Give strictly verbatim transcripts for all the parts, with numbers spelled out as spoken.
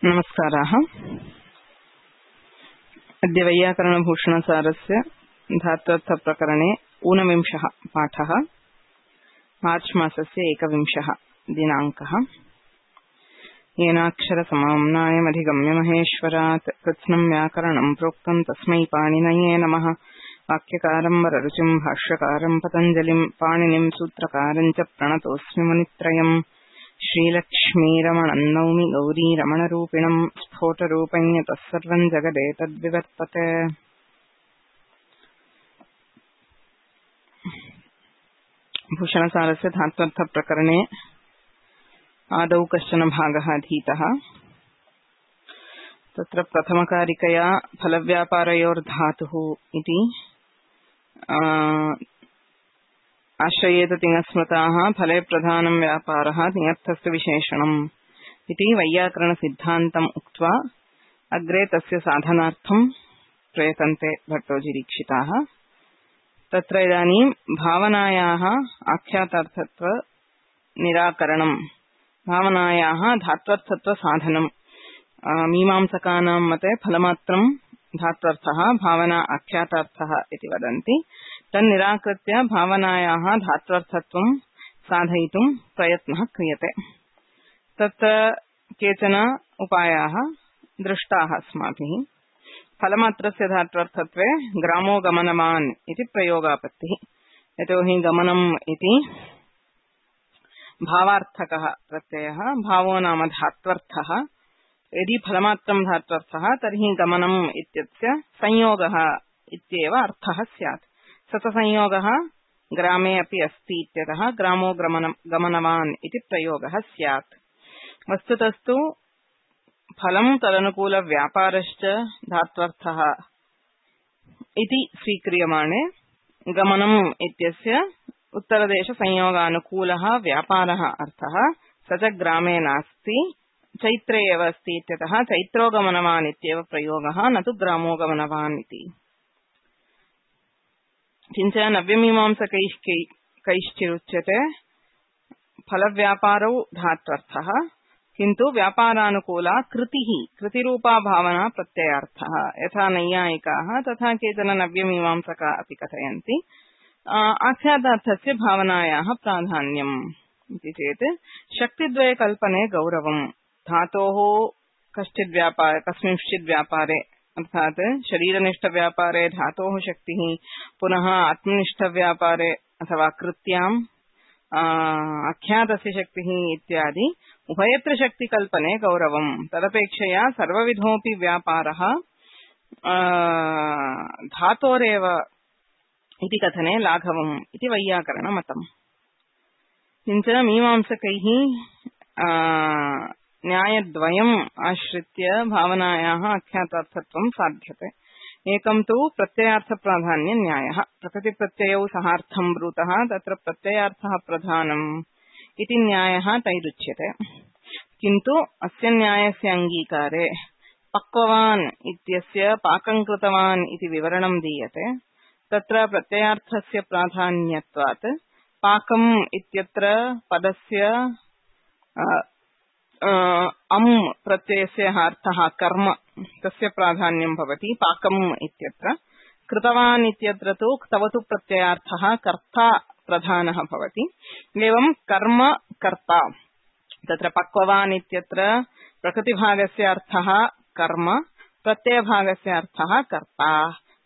नमस्काराः। अद्य वैयाकरणभूषणसारस्य धात्वर्थप्रकरणे ऊनविंशः पाठः। मार्च् मासस्य एकविंशः दिनाङ्कः। येनाक्षरसमाम्नायमधिगम्य महेश्वरात् कृत्स्नं व्याकरणं प्रोक्तं तस्मै पाणिनये नमः। वाक्यकारं वररुचिं भाष्यकारं पतञ्जलिं पाणिनिं सूत्रकारं च प्रणतोऽस्मि मुनित्रयम्। श्रीलक्ष्मीरमणं नौमि गौरीरमणरूपिणं स्फोटरूपं यतः सर्वं जगदेतद्विवर्तते। भूषणसारस्य धात्वर्थप्रकरणे आदौ कश्चन भागः अधीतः। तत्र प्रथमकारिकया फलव्यापारयोर्धातुः इति आश्रयेत तिङस्मृताः फले प्रधानं व्यापारः तिङर्थस्य विशेषणम् इति वैयाकरणसिद्धान्तम् उक्त्वा अग्रे तस्य साधनार्थं प्रयतन्ते भट्टोजीदीक्षिताः। तत्र इदानीं भावनायाः आख्यातार्थत्व निराकरणं, भावनायाः धात्वर्थत्व साधनं। मीमांसकानां मते फलमात्रं धात्वर्थः, भावना आख्यातार्थः इति वदन्ति। तन्निराकृत्य भावनायाः धात्वर्थत्वं साधयितुं प्रयत्नः क्रियते। तत्र केचन उपायाः दृष्टाः अस्माभिः। फलमात्रस्य धात्वर्थत्वे ग्रामो गमनवान् इति प्रयोगापत्तिः। यतोहि गमनम् इति भावार्थकः प्रत्ययः, भावो नाम धात्वर्थः। यदि फलमात्रं धात्वर्थः तर्हि गमनम् इत्यस्य संयोगः इत्येव अर्थः स्यात्। सतसंयोगः ग्रामे अपि अस्ति इत्यतः ग्रामो गमनवान् इति प्रयोगः स्यात्। वस्तुतस्तु फलं तदनुकूलव्यापारश्च धात्वर्थः इति स्वीक्रियमाणे गमनम् इत्यस्य उत्तरदेशसंयोगानुकूलः व्यापारः अर्थः स च ग्रामे नास्ति, चैत्रे एव अस्ति इत्यतः चैत्रो गमनवान् इत्येव प्रयोगः, न तु ग्रामो गमनवान् इति। किञ्च नव्यमीमांसकैः कैश्चिरुच्यते फलव्यापारौ धात्वर्थः, किन्तु व्यापारानुकूला कृतिः, कृतिरूपा भावना प्रत्ययार्थः। यथा नैयायिकाः तथा केचन नव्यमीमांसकाः अपि कथयन्ति। आख्यातार्थस्य भावनायाः प्राधान्यम् इति चेत् शक्तिद्वयकल्पने गौरवम्। धातोः कश्चित् व्यापारे कस्मिंश्चित् व्यापारे अर्थात् शरीरनिष्ठव्यापारे धातोः शक्तिः, पुनः आत्मनिष्ठव्यापारे अथवा कृत्याम् आख्यातस्य शक्तिः इत्यादि उभयत्र शक्तिकल्पने गौरवम्। तदपेक्षया सर्वविधोऽपि व्यापारः धातोरेव इति कथने लाघवम् इति वैयाकरणमतम्। किञ्च मीमांसकैः न्यायद्वयम् आश्रित्य भावनायाः आख्यातार्थत्वं साध्यते। एकं तु प्रत्ययार्थप्राधान्यन्यायः। प्रकृतिप्रत्ययौ सहार्थं ब्रूतः, तत्र प्रत्ययार्थः प्रधानम् इति न्यायः तैरुच्यते। किन्तु अस्य न्यायस्य अङ्गीकारे पक्ववान् इत्यस्य पाकं कृतवान् इति विवरणं दीयते। तत्र प्रत्ययार्थस्य प्राधान्यत्वात् पाकम् इत्यत्र पदस्य अम् प्रत्ययस्य अर्थः कर्म, तस्य प्राधान्यं भवति पाकम् इत्यत्र। कृतवान् इत्यत्र तु क्तवतु प्रत्ययार्थः कर्ता प्रधानः भवति। एवं कर्म कर्ता। तत्र पक्ववान् इत्यत्र प्रकृतिभागस्य अर्थः कर्म, प्रत्ययभागस्य अर्थः कर्ता।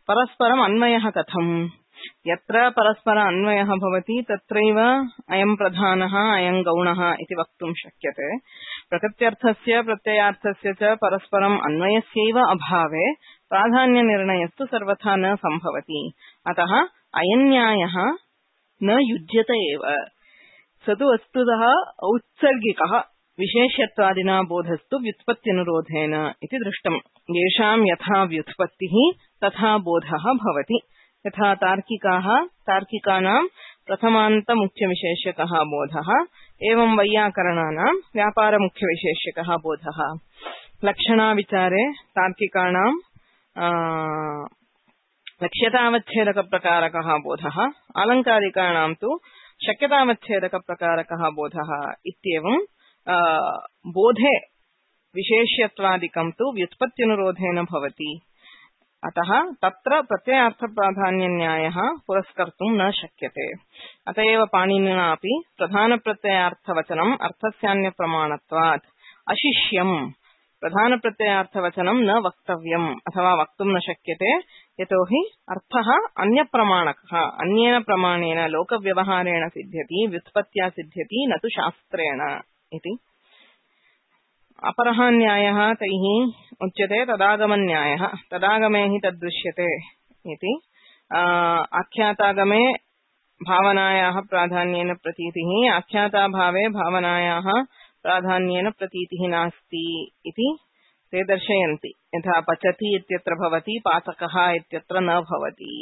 परस्परम् अन्वयः कथम्? यत्र परस्पर अन्वयः भवति तत्रैव अयं प्रधानः अयं गौणः इति वक्तुं शक्यते। प्रकृत्यर्थस्य प्रत्ययार्थस्य च परस्परम् अन्वयस्यैव अभावे प्राधान्यनिर्णयस्तु सर्वथा न सम्भवति। अतः अयं न्यायः न युज्यते एव। स तु वस्तुतः औत्सर्गिकः, विशेष्यत्वादिना बोधस्तु व्युत्पत्त्यनुरोधेन इति दृष्टम्। येषां यथा व्युत्पत्तिः तथा बोधः भवति। यथा तार्किकाः, तार्किकानां प्रथमान्तमुख्यविशेष्यकः बोधः, एवं वैयाकरणानां व्यापारमुख्यविशेष्यकः बोधः। लक्षणाविचारे तार्किकाणां लक्ष्यतावच्छेदकप्रकारकः बोधः, आलङ्कारिकाणां तु शक्यतावच्छेदकप्रकारकः बोधः इत्येवं बोधे विशेष्यत्वादिकं तु व्युत्पत्त्यनुरोधेन भवति। अतः तत्र प्रत्ययार्थप्राधान्यन्यायः पुरस्कर्तुं न शक्यते। अत एव पाणिनिना अपि प्रधानप्रत्ययार्थवचनम् अर्थस्यान्यप्रमाणत्वात् अशिष्यम् प्रधानप्रत्ययार्थवचनं न वक्तव्यम् अथवा वक्तुं न शक्यते, यतोहि अर्थः अन्यप्रमाणकः, अन्येन प्रमाणेन लोकव्यवहारेण सिद्ध्यति, व्युत्पत्त्या सिद्ध्यति, न तु शास्त्रेण इति। अपरः न्यायः तैः उच्यते तदागमन्यायः। तदागमे हि तद्दृश्यते इति। आख्यातागमे भावनायाः प्राधान्येन प्रतीतिः, आख्याताभावे भावनायाः प्राधान्येन प्रतीतिः नास्ति इति ते दर्शयन्ति। यथा पचति इत्यत्र भवति, पाचकः इत्यत्र न भवति।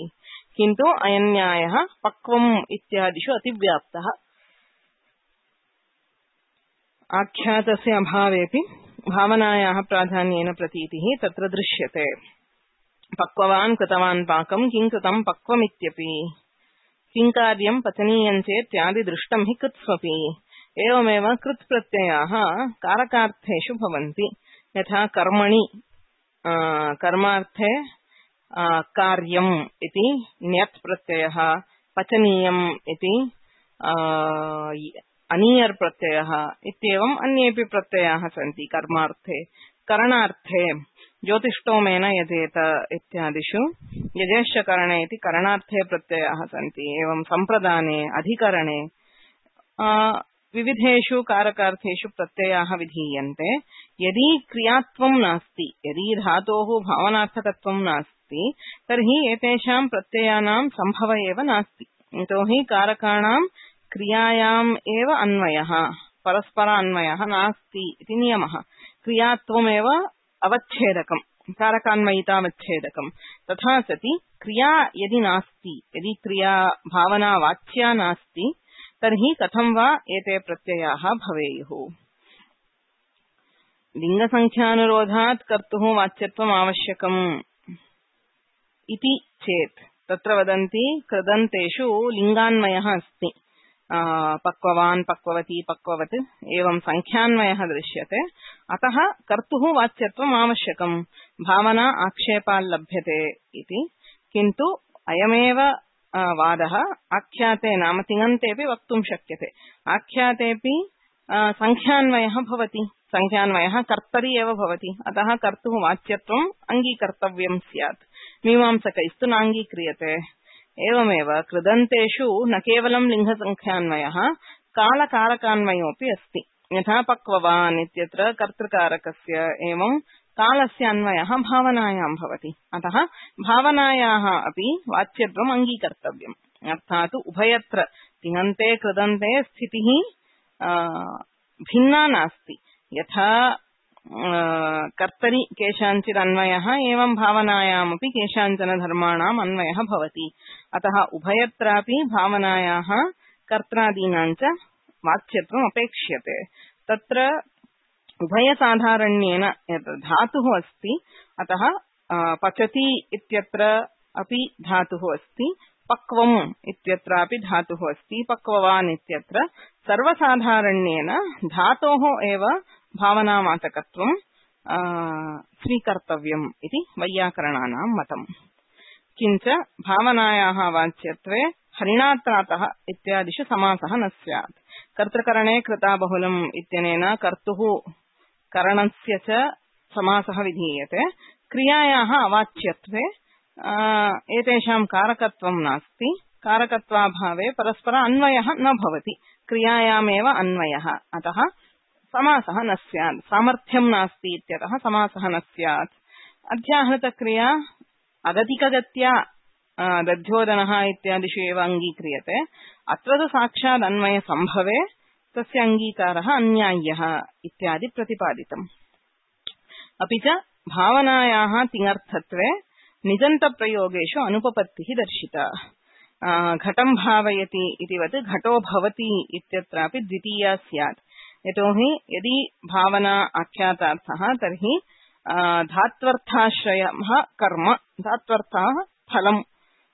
किन्तु अयं न्यायः पक्वम् इत्यादिषु अतिव्याप्तः। आख्यातस्य अभावेपि भावनायाः प्राधान्येन प्रतीतिः तत्र दृश्यते। पक्ववान् कृतवान् पाकं किं कृतं पक्वमित्यपि, किं कार्यं पचनीयं चेत्यादि दृष्टं हि कृत्स्वपि। एवमेव कृत् प्रत्ययाः कारकार्थेषु भवन्ति। यथा कर्मणि कर्मार्थे कार्यम् इति ण्यत् प्रत्ययः, पचनीयम् इति अनीयर् प्रत्ययः इत्येवम् अन्येऽपि प्रत्ययाः सन्ति कर्मार्थे। करणार्थे ज्योतिष्टोमेन यजेत इत्यादिषु यजेश्च करणे इति करणार्थे प्रत्ययाः सन्ति। एवं सम्प्रदाने, अधिकरणे विविधेषु कारकार्थेषु प्रत्ययाः विधीयन्ते। यदि क्रियात्वं नास्ति, यदि धातोः भावनार्थकत्वं नास्ति, तर्हि एतेषां प्रत्ययानां सम्भव एव नास्ति। यतोहि कारकाणां क्रियायाम् एव अन्वयः, परस्पर अन्वयः नास्ति इति नियमः। क्रियात्वमेव अवच्छेदकम्, कारकान्वयितावच्छेदकम्। तथा सति क्रिया यदि नास्ति, यदि क्रिया भावना वाच्या नास्ति, तर्हि कथं वा एते प्रत्ययाः भवेयुः। लिङ्गसङ्ख्यानुरोधात् कर्तुः वाच्यत्वम् आवश्यकम् इति चेत् तत्र वदन्ति कृदन्तेषु लिङ्गान्वयः अस्ति। पक्ववान्, पक्ववती, पक्ववत् एवं संख्यान्वयः दृश्यते। अतः कर्तुः वाच्यत्वम् आवश्यकम्, भावना आक्षेपाल्लभ्यते इति। किन्तु अयमेव वादः आख्याते नाम तिङन्तेऽपि वक्तुं शक्यते। आख्यातेऽपि संख्यान्वयः भवति, संख्यान्वयः कर्तरि एव भवति। अतः कर्तुः वाच्यत्वम् अङ्गीकर्तव्यं स्यात्। मीमांसकैस्तु नाङ्गीक्रियते। एवमेव कृदन्तेषु न केवलं लिङ्गसङ्ख्यान्वयः, कालकारकान्वयोऽपि अस्ति। यथा पक्ववान् इत्यत्र कर्तृकारकस्य एवं कालस्य अन्वयः भावनायां भवति। अतः भावनायाः अपि वाच्यत्वम् अङ्गीकर्तव्यम्। अर्थात् उभयत्र तिङन्ते कृदन्ते स्थितिः भिन्ना नास्ति। यथा कर्तरि केषाञ्चित् अन्वयः, एवं भावनायामपि केषाञ्चन धर्माणाम् अन्वयः भवति। अतः उभयत्रापि भावनायाः कर्त्रादीनां च वाच्यत्वम् अपेक्ष्यते। तत्र उभयसाधारण्येन यत् धातुः अस्ति, अतः पचति इत्यत्र अपि धातुः अस्ति, पक्वम् इत्यत्रापि धातुः अस्ति, पक्ववान् इत्यत्र सर्वसाधारण्येन धातोः एव भावनावाचकत्वं स्वीकर्तव्यम् इति वैयाकरणानां मतम्। किञ्च भावनायाः वाच्यत्वे हरिणात्रातः इत्यादिषु समासः न स्यात्। कर्तृकरणे कृता बहुलम् इत्यनेन कर्तुः करणस्य च समासः विधीयते। क्रियायाः अवाच्यत्वे एतेषां कारकत्वं नास्ति। कारकत्वाभावे परस्पर अन्वयः न भवति, क्रियायामेव अन्वयः। अतः समासः न स्यात्। सामर्थ्यं नास्ति इत्यतः समासः न स्यात्। अध्याहृतक्रिया अगतिकगत्या दध्योदनः इत्यादिषु एव अङ्गीक्रियते। अत्र तु साक्षात् अन्वयसम्भवे तस्य अङ्गीकारः अन्याय्यः इत्यादि प्रतिपादितम्। अपि च भावनायाः तिङर्थत्वे निजन्तप्रयोगेषु अनुपपत्तिः दर्शिता। घटं भावयति इतिवत् घटो भवति इत्यत्रापि द्वितीया स्यात्। यतोहि यदि भावना आख्यातार्थः तर्हि धात्वर्थाश्रयः कर्म, धात्वर्थः फलम्,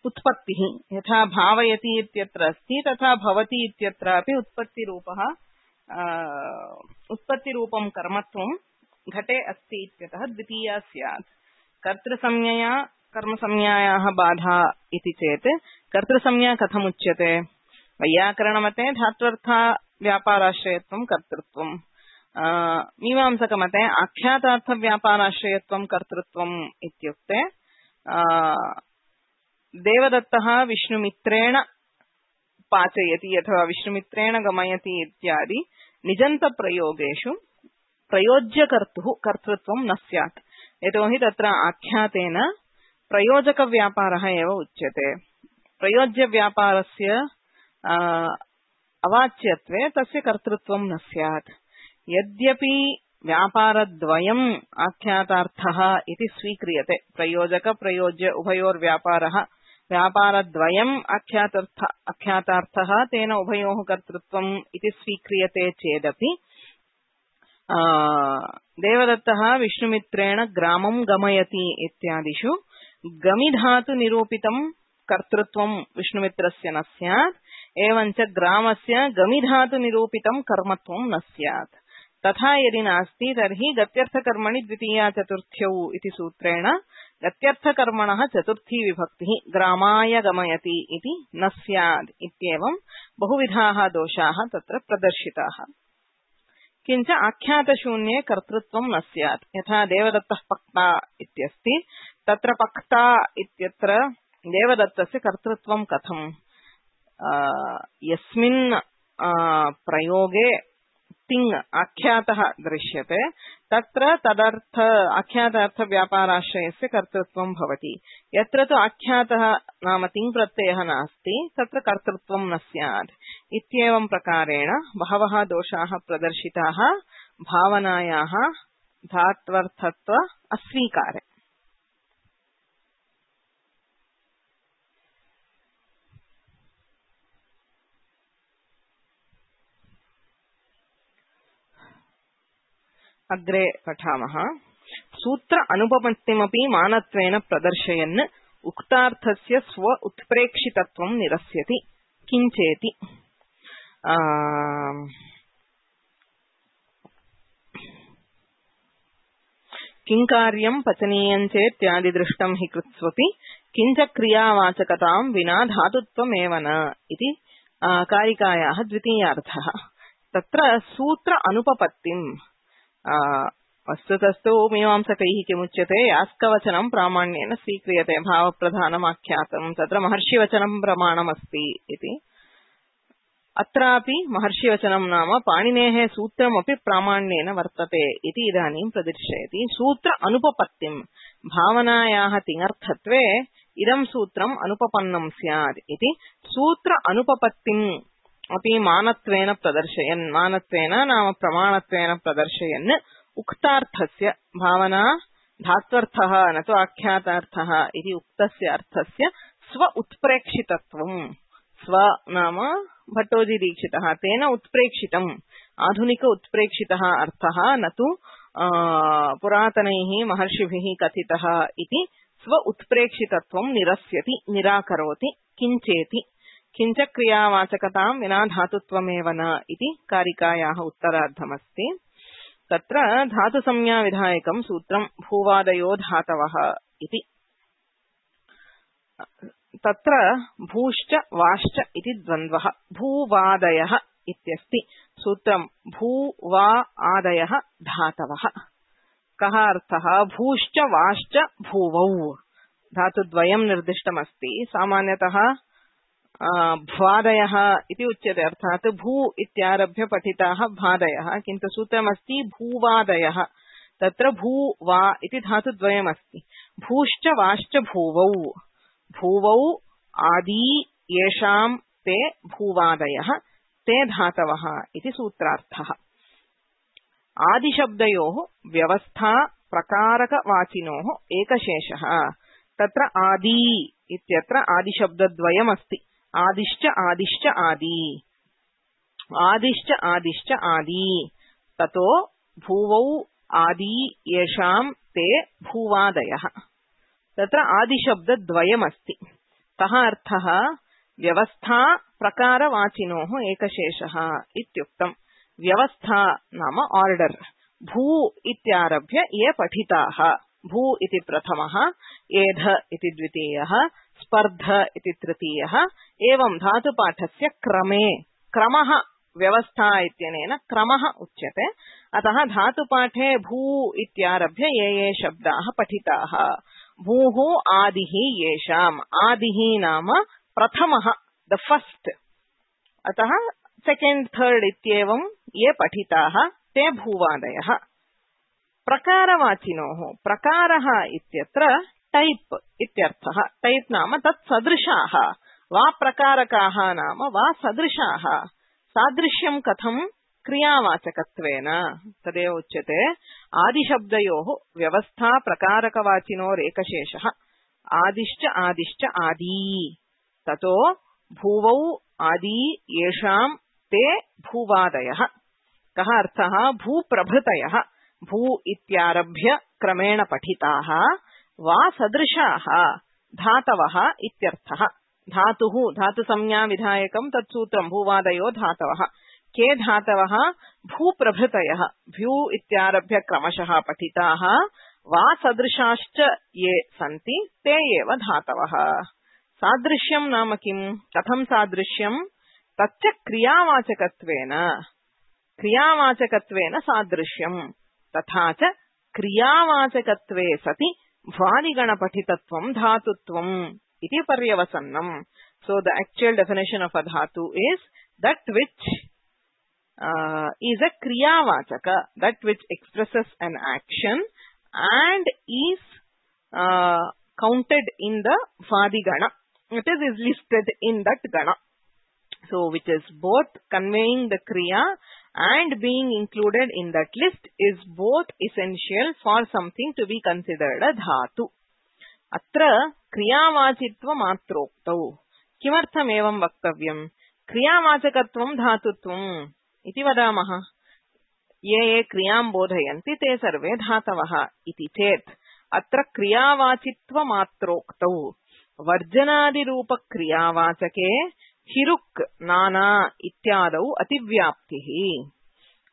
उत्पत्तिः। यथा भावयति इत्यत्र अस्ति, तथा भवति इत्यत्रापि उत्पत्तिरूपः उत्पत्तिरूपं कर्मत्वं घटे अस्ति इत्यतः द्वितीया स्यात्। कर्तृसंज्ञया कर्मसंज्ञायाः बाधा इति चेत् कर्तृसंज्ञा कथमुच्यते? वैयाकरणमते धात्वर्थ व्यापाराश्रयत्वं कर्तृत्वं, मीमांसकमते आख्यातार्थ व्यापाराश्रयत्वं कर्तृत्वम् इत्युक्ते देवदत्तः विष्णुमित्रेण पाचयति अथवा विष्णुमित्रेण गमयति इत्यादि निजन्तप्रयोगेषु प्रयोज्यकर्तुः कर्तृत्वं न स्यात्। यतोहि तत्र आख्यातेन प्रयोजकव्यापारः एव उच्यते। प्रयोज्यव्यापारस्य अवाच्यत्वे तस्य कर्तृत्वं न स्यात्। यद्यपि व्यापारद्वयम् आख्यातार्थः इति स्वीक्रियते, प्रयोजक प्रयोज्य उभयोर्व्यापारः व्यापारद्वयम् आख्यातार्थ आख्यातार्थः तेन उभयोः कर्तृत्वम् इति स्वीक्रियते चेदपि देवदत्तः विष्णुमित्रेण ग्रामं गमयति इत्यादिषु गमिधातु निरूपितं कर्तृत्वं विष्णुमित्रस्य न स्यात्, एवञ्च ग्रामस्य गमिधातु निरूपितं कर्मत्वं न स्यात्। तथा यदि नास्ति तर्हि गत्यर्थकर्मणि द्वितीया चतुर्थ्यौ इति सूत्रेण गत्यर्थकर्मणः चतुर्थी विभक्तिः ग्रामाय गमयति इति न स्यात् इत्येवं बहुविधाः दोषाः तत्र प्रदर्शिताः। किञ्च आख्यातशून्ये कर्तृत्वं न स्यात्। यथा देवदत्तः पक्ता इत्यस्ति, तत्र पक्ता इत्यत्र देवदत्तस्य कर्तृत्वं कथम्? यस्मिन् प्रयोगे तिङ् आख्यातः दृश्यते तत्र तदर्थ आख्यातार्थ व्यापाराश्रयस्य कर्तृत्वं भवति। यत्र तु आख्यातः नाम तिङ् प्रत्ययः नास्ति तत्र कर्तृत्वं न स्यात्। इत्येवं प्रकारेण बहवः दोषाः प्रदर्शिताः भावनायाः धात्वर्थत्व अस्वीकारे। अग्रे पठामः। सूत्र अनुपपत्तिमपि मानत्वेन प्रदर्शयन् उक्तार्थस्य स्व उत्प्रेक्षितत्वं निरस्यति। किञ्चेति किङ्कार्यं पचनीयं चेत्यादि दृष्टं हि कृत्स्वपि किञ्च क्रियावाचकतां विना धातुत्वमेव न इति कारिकायाः द्वितीयार्थः। तत्र सूत्र अनुपपत्तिं वस्तुतस्तु मीमांसकैः किमुच्यते? यास्कवचनं प्रामाण्येन स्वीक्रियते, भावप्रधानमाख्यातं, तत्र महर्षिवचनं प्रमाणमस्ति इति। अत्रापि महर्षिवचनं नाम पाणिनेः सूत्रमपि प्रामाण्येन वर्तते इति इदानीं प्रदर्शयति। सूत्र अनुपपत्तिं भावनायाः तिङर्थत्वे इदं सूत्रम् अनुपपन्नं स्यात् इति सूत्र अनुपपत्तिम् अपि मानत्वेन प्रदर्शयन्, मानत्वेन नाम प्रमाणत्वेन प्रदर्शयन् उक्तार्थस्य भावना धात्वर्थः न तु आख्यातार्थः इति उक्तस्य अर्थस्य स्व उत्प्रेक्षितत्वं, स्व नाम भट्टोजी दीक्षितः तेन उत्प्रेक्षितम्, आधुनिक उत्प्रेक्षितः अर्थः न तु पुरातनैः महर्षिभिः कथितः इति स्व उत्प्रेक्षितत्वं निरस्यति, निराकरोति। किञ्चेति किञ्च क्रियावाचकतां विना धातुत्वमेव न इति कारिकायाः उत्तरार्धमस्ति। तत्र धातुसंज्ञाविधायकं सूत्रं भूवादयो धातवः इति। तत्र भूश्च वाश्च इति द्वन्द्वः। भूवादयः इत्यस्ति सूत्रं भू वा आदयः धातवः। कः अर्थः? भूश्च वाश्च भूवौ धातुद्वयं निर्दिष्टमस्ति। सामान्यतः भ्वादयः इति उच्यते, अर्थात् भू इत्यारभ्य पठिताः भादयः, किन्तु सूत्रमस्ति भूवादयः। तत्र भू वा इति धातुद्वयमस्ति। भूश्च वाश्च भूवौ, भूवौ आदि येषां ते भूवादयः ते धातवः इति सूत्रार्थः। आदिशब्दयोः व्यवस्था प्रकारकवाचिनोः एकशेषः। तत्र आदि इत्यत्र आदिशब्दद्वयमस्ति। आदिश्च आदिश्च आदि, आदिश्च आदिश्च आदि। ततो भूवौ आदि येषां ते भूवादयः। तत्र आदिशब्दद्वयमस्ति। कः अर्थः? व्यवस्था प्रकारवाचिनोः एकशेषः इत्युक्तम्। व्यवस्था नाम आर्डर, भू इत्यारभ्य ये पठिताः भू इति प्रथमः एध इति द्वितीयः स्पर्ध इति तृतीयः एवं धातुपाठस्य क्रमे क्रमः व्यवस्था इत्यनेन क्रमः उच्यते अतः धातुपाठे भू इत्यारभ्य ये ये शब्दाः पठिताः भूः आदिः येषाम् आदिः नाम प्रथमः द फर्स्ट अतः सेकेंड थर्ड इत्येवं ये पठिताः ते भूवादयः प्रकारवाचिनोः प्रकारः इत्यत्र टाइप इत्यर्थः टाइप नाम तत् सदृशाः वा प्रकारकाः नाम वा सदृशाः सादृश्यं कथं क्रियावाचकत्वेन तदेव उच्यते आदिशब्दयोः व्यवस्था प्रकारकवाचिनोरेकशेषः आदिश्च आदिश्च आदी ततो भूवौ आदि येषां ते भूवादयः कः अर्थः भूप्रभृतयः भू इत्यारभ्य क्रमेण पठिताः वा सदृशाः धातवः इत्यर्थः धातुः धातुसंज्ञा विधायकं तत्सूत्रं भूवादयो धातवः के धातवः भूप्रभृतयः भ्यू इत्यारभ्य क्रमशः पठिताः वा सदृशाश्च ये सन्ति ते एव धातवः सादृश्यं नाम किं कथं सादृश्यं तच्च क्रियावाचकत्वेन क्रियावाचकत्वेन सादृश्यं तथा च क्रियावाचकत्वे सति भ्वादिगणपठितत्वं धातुत्वम् इति पर्यवसन्नम् so the actual definition of a dhatu is that which uh, is a kriyavachaka that which expresses an action and is uh, counted in the vadigana it is, is listed in that gana so which is both conveying the kriya and being included in that list is both essential for something to be considered a dhatu अत्र क्रियावाचित्वमात्रोक्तौ किमर्थम् एवं वक्तव्यम् क्रियावाचकत्वं धातुत्वम् इति वदामः ये ये क्रियां बोधयन्ति ते सर्वे धातवः इति चेत् अत्र क्रियावाचित्वमात्रोक्तौ वर्जनादिरूपक्रियावाचके हिरुक् नाना इत्यादौ अतिव्याप्तिः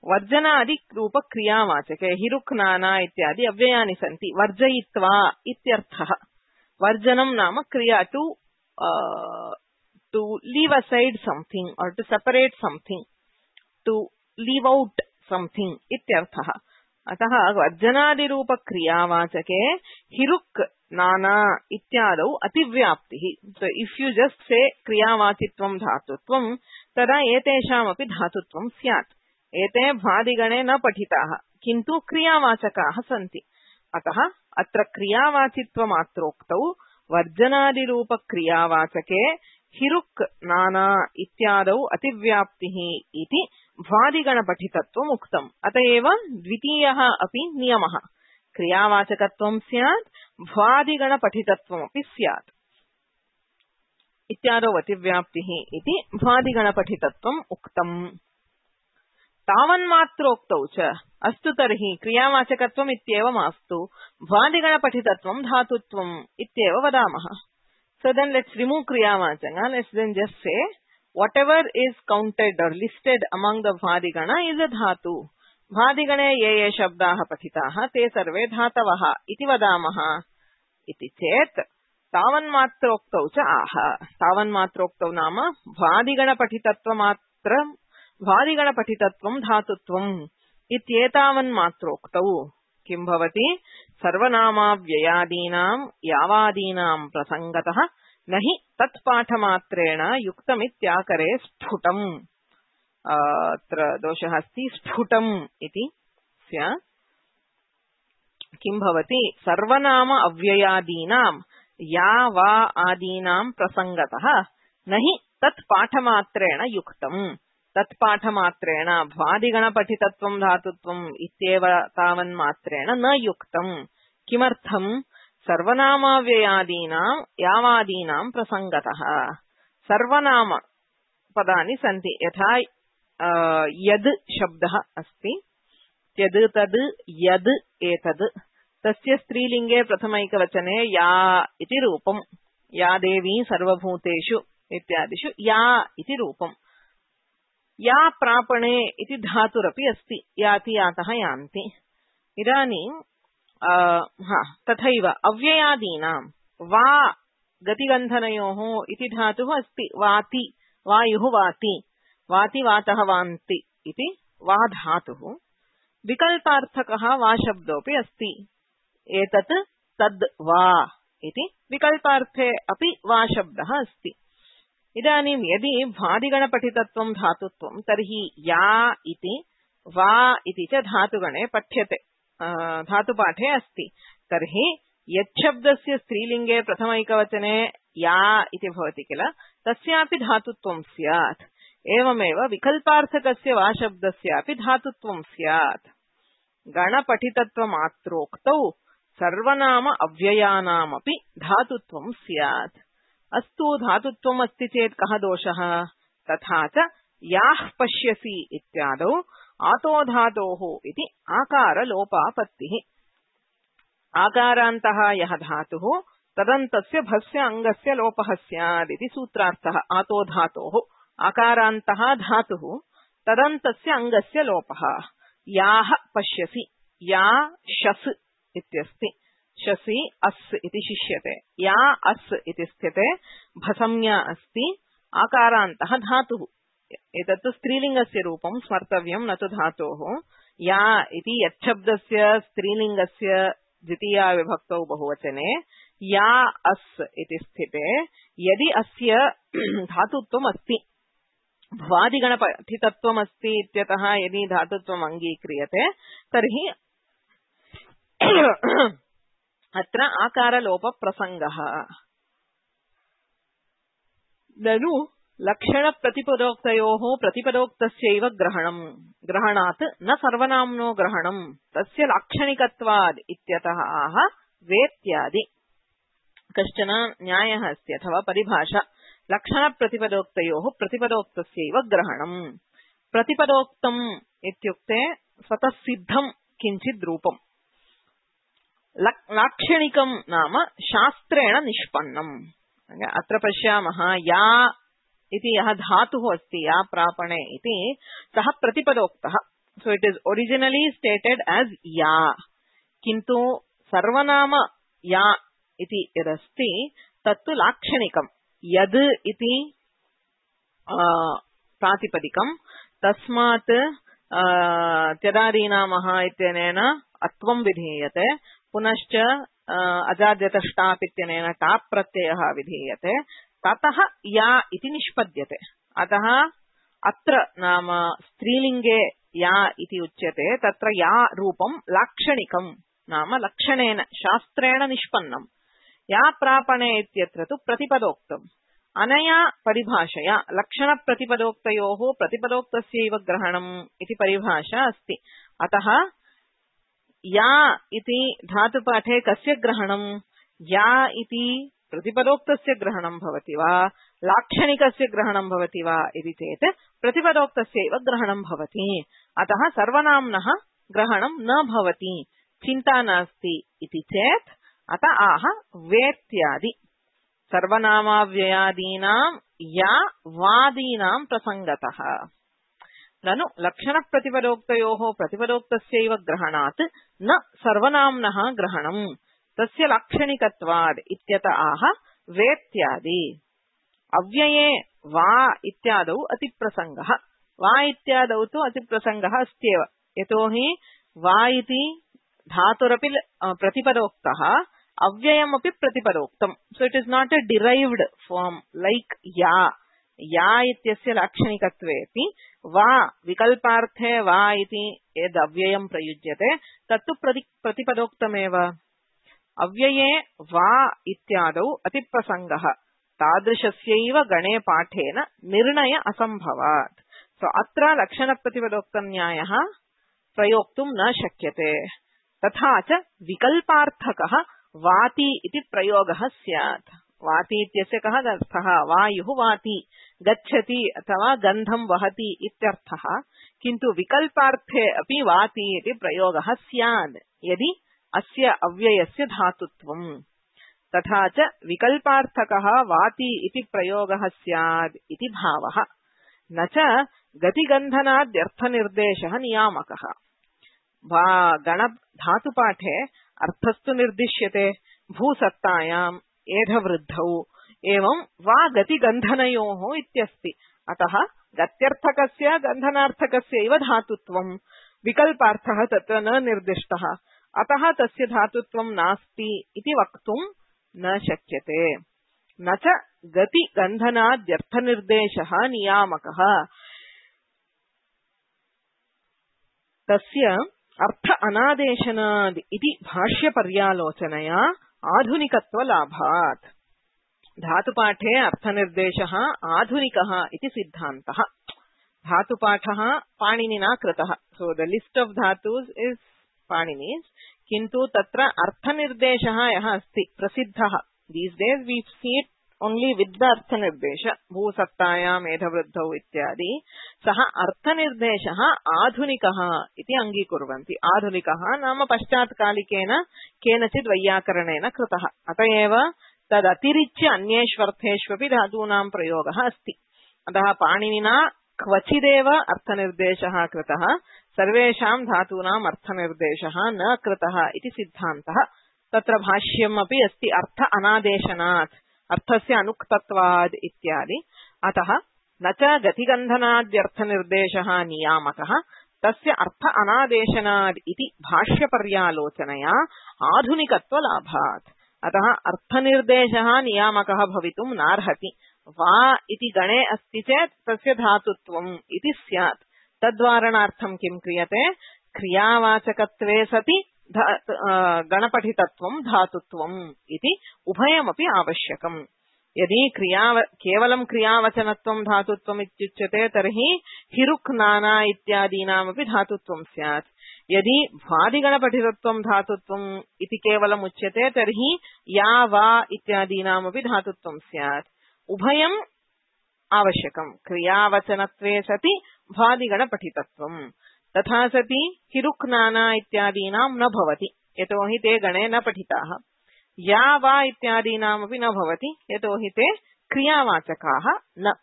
वर्जनादिरूपक्रियावाचके हिरुक् नाना इत्यादि अव्ययानि सन्ति वर्जयित्वा इत्यर्थः वर्जनं नाम क्रिया to to leave aside something or to separate something to leave out something इत्यर्थः अतः वर्जनादिरूपक्रियावाचके हिरुक् नाना इत्यादौ अतिव्याप्तिः so if you just say क्रियावाचित्वं धातुत्वं तदा एतेषामपि धातुत्वं स्यात् एते भादिगणे न पठिताः किन्तु क्रियावाचकाः सन्ति अतः अत्र क्रियावाचित्वमात्रोक्तौ वर्जनादिरूपक्रियावाचके हिरुक् नाना इत्यादौ अतिव्याप्तिः इति भ्वादिगणपठितत्वम् उक्तम् अतएव द्वितीयः अपि नियमः क्रियावाचकत्वं स्यात् भ्वादिगणपठितत्वमपि स्यात् इत्यादौ अतिव्याप्तिः इति भ्वादिगणपठितत्वम् उक्तम् तावन्मात्रोक्तौ च अस्तु तर्हि क्रियावाचकत्वम् इत्येव मास्तु भ्वादिगणपठितत्वं धातुत्वम् इत्येव वदामः so then let's remove kriyavachaka let's then just say whatever is counted or listed among the bhadigana is a dhatu bhadigane ye ye shabdaah pathitaah te sarve dhatavah iti vadamah iti chet tavanmatroktau cha aha tavanmatroktau nama bhadigana pathitatva bhadigana pathitatvam dhatutvam ityetavanmatroktau किं भवति सर्वनामाव्ययादीनां यावादीनां प्रसंगतः न हि तत्पाठमात्रेण युक्तमित्याकरे स्फुटम् अत्र दोषः अस्ति स्फुटम् इति स्यात् किं भवति सर्वनाम अव्ययादीनां यावा आदीनां प्रसंगतः न हि तत्पाठमात्रेण युक्तम् तत्पाठमात्रेण भ्वादिगणपठितत्वं धातुत्वम् इत्येव तावन्मात्रेण न युक्तम् किमर्थम् सर्वनामाव्ययादीनां यावादीनां प्रसंगतः सर्वनाम पदानि सन्ति यथा यद् शब्दः अस्ति यद् तद् यद् एतद् तस्य स्त्रीलिङ्गे प्रथमैकवचने या इति रूपम् या देवी सर्वभूतेषु इत्यादिषु या इति रूपम् या प्रापणे इति धातुरपि अस्ति याति यातः यान्ति इदानीं हा तथैव अव्ययादीनां वा गतिगन्धनयोः इति धातुः अस्ति वाति वायुः वाति वाति वातः वान्ति इति वा धातुः विकल्पार्थकः वा शब्दोऽपि अस्ति एतत् तद् वा इति विकल्पार्थे अपि वा शब्दः अस्ति इदानीं यदि भादिगणपठितत्वं धातुत्वं तर्हि या इति वा इति च धातुगणे पठ्यते धातुपाठे अस्ति तर्हि यच्छब्दस्य स्त्रीलिङ्गे प्रथमैकवचने या इति भवति किल तस्यापि धातुत्वं स्यात् एवमेव विकल्पार्थकस्य वा शब्दस्यापि धातुत्वं स्यात् गणपठितत्वमात्रोक्तौ सर्वनाम अव्ययानामपि धातुत्वं स्यात् अस्तु धातुत्वम् अस्ति चेत् कः दोषः तथा च याः पश्यसि इत्यादौ आतो धातोः इति आकारलोपापत्तिः आकारान्तः यः धातुः तदन्तस्य भस्य अङ्गस्य लोपः स्यात् इति सूत्रार्थः आतो धातोः आकारान्तः धातुः तदन्तस्य अङ्गस्य लोपः याः पश्यसि या शस् इत्यस्ति शसि अस् इति शिष्यते या अस् इति स्थिते भसंज्ञा अस्ति आकारान्तः धातुः एतत् स्त्रीलिङ्गस्य रूपं स्मर्तव्यं न तु धातोः या इति यच्छब्दस्य स्त्रीलिङ्गस्य द्वितीया विभक्तौ बहुवचने या अस् इति स्थिते यदि अस्य धातुत्वम् अस्ति भ्वादिगणपठितत्वम् अस्ति इत्यतः यदि धातुत्वम् अङ्गीक्रियते तर्हि अत्र आकारलोपप्रसङ्गः ननु लक्षणप्रतिपदोक्तयोः प्रतिपदोक्तस्यैव ग्रहणम् ग्रहणात् न सर्वनाम्नो ग्रहणम् तस्य लाक्षणिकत्वाद् इत्यतः आह वेत्यादि कश्चन न्यायः अस्ति अथवा परिभाषा लक्षणप्रतिपदोक्तयोः प्रतिपदोक्तस्यैव ग्रहणम् प्रतिपदोक्तम् इत्युक्ते स्वतः सिद्धं किञ्चित् रूपम् लाक्षणिकं नाम शास्त्रेण निष्पन्नम् अत्र पश्यामः या इति यः धातुः अस्ति या प्रापणे इति सः प्रतिपदोक्तः so it is originally stated as या किन्तु सर्वनाम या इति यदस्ति तत्तु लाक्षणिकं यद् इति प्रातिपदिकं तस्मात् त्यदादीनामः इत्यनेन अत्वं विधीयते पुनश्च अजाद्यतष्टाप् इत्यनेन टाप् प्रत्ययः विधीयते ततः या इति निष्पद्यते अतः अत्र नाम स्त्रीलिङ्गे या इति उच्यते तत्र या रूपं लाक्षणिकं नाम लक्षणेन शास्त्रेण निष्पन्नं या प्रापणे इत्यत्र तु प्रतिपदोक्तम् अनया परिभाषया लक्षणप्रतिपदोक्तयोः प्रतिपदोक्तस्यैव ग्रहणम् इति परिभाषा अस्ति अतः या इति धातुपाठे कस्य ग्रहणम् या इति प्रतिपदोक्तस्य ग्रहणं भवति वा लाक्षणिकस्य ग्रहणं भवति वा इति चेत् प्रतिपदोक्तस्यैव ग्रहणं भवति अतः सर्वनाम्नः ग्रहणं न भवति चिन्ता नास्ति इति चेत् अत आह वेत्यादि सर्वनामाव्ययादीनां या वादीनां प्रसङ्गतः ननु लक्षणप्रतिपदोक्तयोः प्रतिपदोक्तस्यैव ग्रहणात् न सर्वनाम्नः ग्रहणम् तस्य लाक्षणिकत्वाद् इत्यत आह वेत्यादि अव्यये वा इत्यादौ अतिप्रसङ्गः वा इत्यादौ तु अतिप्रसङ्गः अस्त्येव यतोहि वा इति धातुरपि प्रतिपदोक्तः अव्ययमपि प्रतिपदोक्तम् so it is not a derived form like या या इत्यस्य लाक्षणिकत्वेऽपि वा विकल्पार्थे वा इति यद् अव्ययं प्रयुज्यते तत्तु प्रतिपदोक्तमेव अव्यये वा इत्यादौ अतिप्रसङ्गः तादृशस्यैव गणे पाठेन निर्णय असम्भवात् सो अत्र लक्षणप्रतिपदोक्तन्यायः प्रयोक्तुं न शक्यते तथा च विकल्पार्थकः वाति इति प्रयोगः स्यात् वाति इत्यस्य कः अर्थः वायुः वाति गच्छति अथवा गन्धं वहति इत्यर्थः किन्तु विकल्पार्थे अपि वाति इति प्रयोगः स्यात् यदि अस्य अव्ययस्य धातुत्वम् तथा च विकल्पार्थकः वाति इति प्रयोगः स्यात् इति भावः न च गतिगन्धनाद्यर्थनिर्देशः नियामकः वा गण धातुपाठे अर्थस्तु निर्दिश्यते भूसत्तायाम् एधवृद्धौ एवं वा गतिगन्धनयोः इत्यस्ति अतः गत्यर्थकस्य गन्धनार्थकस्यैव धातुत्वं विकल्पार्थः तत्र न निर्दिष्टः अतः तस्य धातुत्वं नास्ति इति वक्तुं न शक्यते न च गतिगन्धनाद्यर्थनिर्देशः नियामकः तस्य अर्थ अनादेशनाद् इति भाष्यपर्यालोचनया आधुनिकत्वलाभात् धातुपाठे अर्थनिर्देशः आधुनिकः इति सिद्धान्तः धातुपाठः पाणिनिना कृतः so the list of dhatus is Panini's किन्तु तत्र अर्थनिर्देशः यः अस्ति प्रसिद्धः these days we see it only with the arthanirdesha भूसत्तायां मेधवृद्धौ इत्यादि सः अर्थनिर्देशः आधुनिकः इति अङ्गीकुर्वन्ति आधुनिकः नाम पश्चात्कालिकेन केनचित् वैयाकरणेन कृतः अतएव तदतिरिच्य अन्येष्वर्थेष्वपि धातूनां प्रयोगः अस्ति अतः पाणिनिना क्वचिदेव अर्थनिर्देशः कृतः सर्वेषां धातूनाम् अर्थनिर्देशः न कृतः इति सिद्धान्तः तत्र भाष्यम् अपि अस्ति अर्थ अनादेशनात् अर्थस्य अनुक्तत्वाद् इत्यादि अतः न च गतिगन्धनाद्यर्थनिर्देशः नियामकः तस्य अर्थ अनादेशनाद् इति भाष्यपर्यालोचनया आधुनिकत्वलाभात् अतः अर्थनिर्देशः नियामकः भवितुं नार्हति वा इति गणे अस्ति चेत् तस्य धातुत्वम् इति स्यात् तद्वारणार्थं किं क्रियते क्रियावाचकत्वे सति गणपठितत्वं धातुत्वम् इति उभयमपि आवश्यकम् यदि क्रिया केवलं क्रियावचनत्वं धातुत्वम् इत्युच्यते तर्हि हिरुक् नाना इत्यादीनामपि धातुत्वं स्यात् यदि भ्वादिगणपठितत्वं धातुत्वम् इति केवलम् उच्यते तर्हि या वा इत्यादीनामपि धातुत्वं स्यात् उभयम् आवश्यकम् क्रियावचनत्वे सति भ्वादिगणपठितत्वम् तथा सति हिरुक् नाना इत्यादीनां न भवति यतोहि ते गणे न पठिताः या वा इत्यादीनामपि न भवति यतोहि ते क्रियावाचकाः न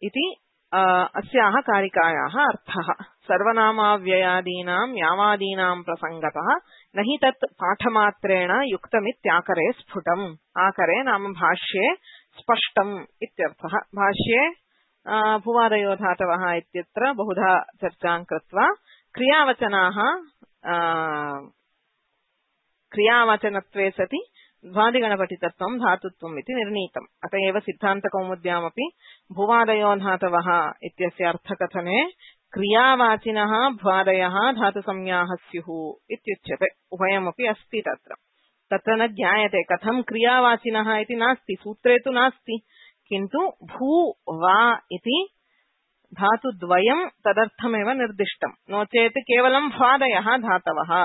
इति अस्याः कारिकायाः अर्थः सर्वनामाव्ययादीनां यावादीनां प्रसङ्गतः न हि तत् पाठमात्रेण युक्तमित्याकरे स्फुटम् आकरे नाम भाष्ये स्पष्टम् इत्यर्थः भाष्ये भुवादयो धातवः इत्यत्र बहुधा चर्चां कृत्वा क्रियावचनाः क्रियावचनत्वे सति भ्वादिगणपठितत्वं धातुत्वम् इति निर्णीतम् अत एव सिद्धान्तकौमुद्यामपि भुवादयो धातवः इत्यस्य अर्थकथने क्रियावाचिनः भ्वादयः धातुसंज्ञाः स्युः इत्युच्यते उभयमपि अस्ति तत्र तत्र न ज्ञायते कथं क्रियावाचिनः इति नास्ति सूत्रे तु नास्ति किन्तु भू वा इति धातुद्वयं तदर्थमेव निर्दिष्टम् नो चेत् केवलं भ्वादयः धातवः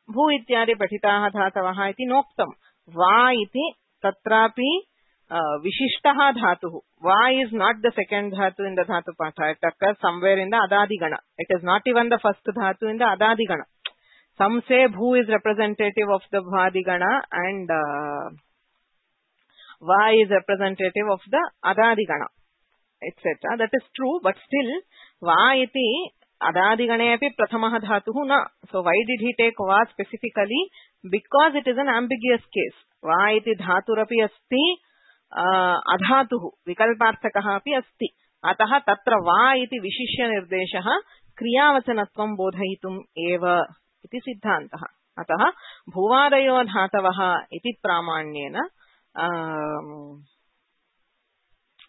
भू इत्यादि पठिताः धातवः इति नोक्तम् वा इति तत्रापि विशिष्टः धातुः वा इज नॉट द सेकंड धातु in the dhatu patha it occurs somewhere in the adadigana it is not even the first dhatu in the adadigana some say bhu is representative of the bhadigana and uh, va is representative of the adadigana etc that is true but still va iti adadigane api prathamaha dhatuh na so why did he take va specifically because it is an ambiguous case va iti dhaturapi asti अधातुः विकल्पार्थकः अपि अस्ति अतः तत्र वा इति विशिष्य निर्देशः क्रियावचनत्वं बोधयितुम् एव इति सिद्धान्तः अतः भुवादयो धातवः इति प्रामाण्येन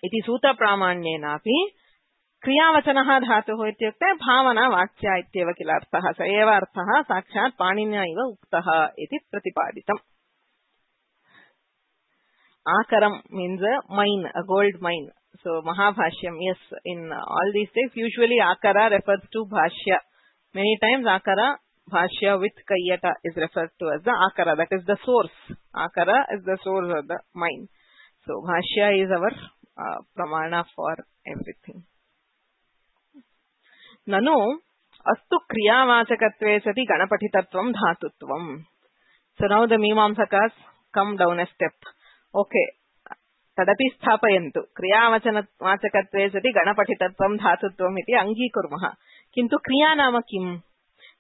इति सूत्रप्रामाण्येनापि क्रियावचनः धातुः इत्युक्ते भावना वाच्या इत्येव किल अर्थः स एव अर्थः साक्षात् पाणिनिना इव उक्तः इति प्रतिपादितम् Akaram means a mine, a gold mine. So Mahabhashyam, yes, in all these things, usually Akara refers to Bhashya. Many times Akara, Bhashya with Kayyata is referred to as the Akara. That is the source. Akara is the source of the mine. So Bhashya is our uh, Pramana for everything. Nanu astu kriyavachakatve sati ganapatitatvam dhatutvam. So now the Mimamsakas come down a step. Okay, तदपि स्थापयन्तु क्रियावचनवाचकत्वे सति गणपठितत्वं धातुत्वम् इति अङ्गीकुर्मः किन्तु क्रिया नाम किम्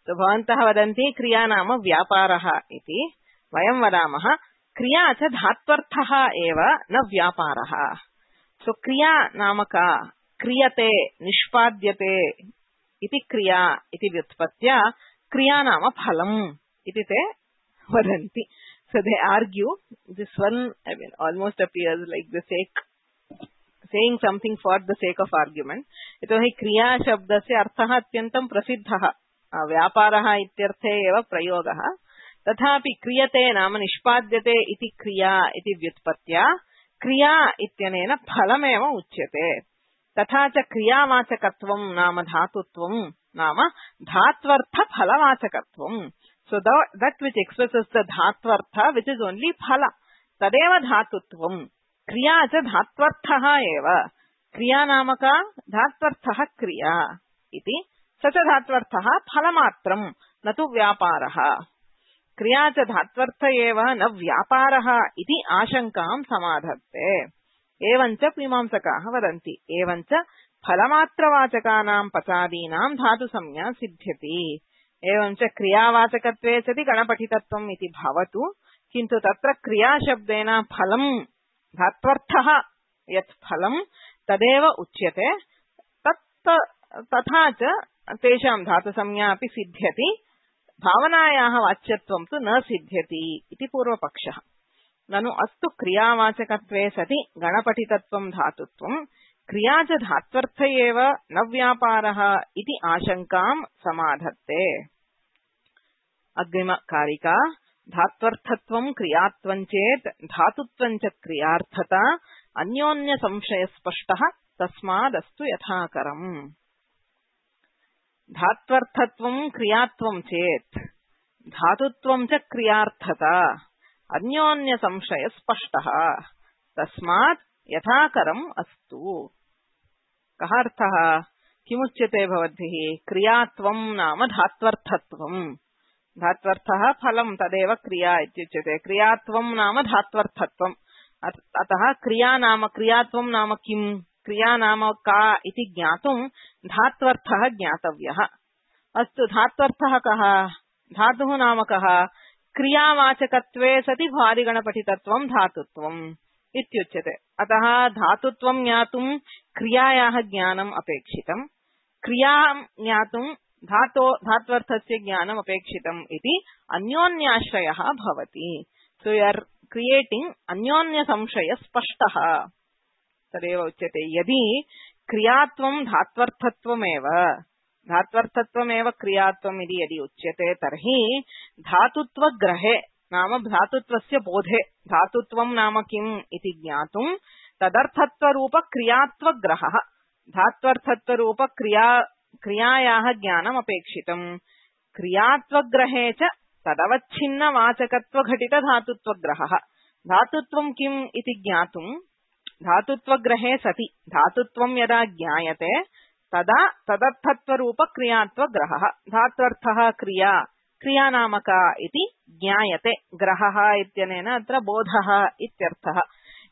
सो भवन्तः वदन्ति क्रिया नाम व्यापारः इति वयं वदामः क्रिया च धात्वर्थः एव न व्यापारः सो क्रिया नाम का क्रियते निष्पाद्यते इति क्रिया इति व्युत्पत्त्या क्रिया नाम फलम् इति ते वदन्ति so they argue this one I mean almost appears like the sake saying something for the sake of argument यतोहि क्रिया शब्दस्य अर्थः अत्यन्तं प्रसिद्धः व्यापारः इत्यर्थे एव प्रयोगः तथापि क्रियते नाम निष्पाद्यते इति क्रिया इति व्युत्पत्त्या क्रिया इत्यनेन फलमेव उच्यते तथा च क्रियावाचकत्वं नाम धातुत्वं नाम धात्वर्थ फलवाचकत्वं so that, that which expresses the dhatvartha which is only phala tadeva dhatutvam kriya cha dhatvarthah eva kriya namaka dhatvarthah kriya iti sacha dhatvarthah phalamatram natu vyaparah kriya cha dhatvartha eva na vyaparah iti ashankam samadhatte evancha mimamsakaah vadanti evancha phalamatravachakaanaam pachadinaam dhatu samya siddhyati एवं च क्रियावाचकत्वे सति गणपठितत्वम् इति भवतु किन्तु तत्र क्रियाशब्देन फलं धात्वर्थः यत् फलं तदेव उच्यते तत् तथा च तेषां धातुसंज्ञा अपि सिद्ध्यति भावनायाः वाच्यत्वं तु न सिद्ध्यति इति पूर्वपक्षः ननु अस्तु क्रियावाचकत्वे सति गणपठितत्वं धातुत्वं क्रिया च धात्वर्थ एव न व्यापारः इति आशंकां समाधत्ते अग्रिमकारिका धात्वर्थत्वं क्रियात्वं चेत् धातुत्वं च क्रियार्थता अन्योन्य संशय स्पष्टः तस्मादस्तु यथाकरम् धात्वर्थत्वं क्रियात्वं चेत् धातुत्वं च क्रियार्थता अन्योन्य संशय स्पष्टः तस्मात् यथाकरम् अस्तु कः अर्थः किमुच्यते भवद्भिः क्रियात्वं नाम धात्वर्थत्वं धात्वर्थः फलं तदेव क्रिया इत्युच्यते क्रियात्वं नाम धात्वर्थत्वम् अतः क्रिया नाम क्रियात्वं नाम किम् क्रिया नाम का इति ज्ञातुं धात्वर्थः ज्ञातव्यः अस्तु धात्वर्थः कः धातुः नाम कः क्रियावाचकत्वे सति भ्वादिगणपठितत्वं धातुत्वम् इत्युच्यते अतः धातुत्वं ज्ञातुं क्रियायाः ज्ञानम् अपेक्षितम् क्रियां ज्ञातुं धातो धात्वर्थस्य ज्ञानम् अपेक्षितम् इति अन्योन्याश्रयः भवति सो यू आर क्रिएटिंग अन्योन्य संशय स्पष्टः तदेव उच्यते यदि क्रियात्वं धात्वर्थत्वमेव धात्वर्थत्वमेव क्रियात्वम् इति यदि उच्यते तर्हि धातुत्वग्रहे नाम धातुत्वस्य बोधे धातुत्वं नाम किम् इति ज्ञातुं तदर्थत्वरूप क्रियात्वग्रहः धात्वर्थत्वरूप क्रिया क्रियायाः ज्ञानम् अपेक्षितम् क्रियात्वग्रहे च तदवच्छिन्नवाचकत्वघटित धातुत्वग्रहः धातुत्वं किम् इति ज्ञातुं धातुत्वग्रहे सति धातुत्वं यदा ज्ञायते तदा तदर्थत्वरूप क्रियात्वग्रहः धात्वर्थः क्रिया क्रिया नामका इति ज्ञायते ग्रहः इत्यनेन अत्र बोधः इत्यर्थः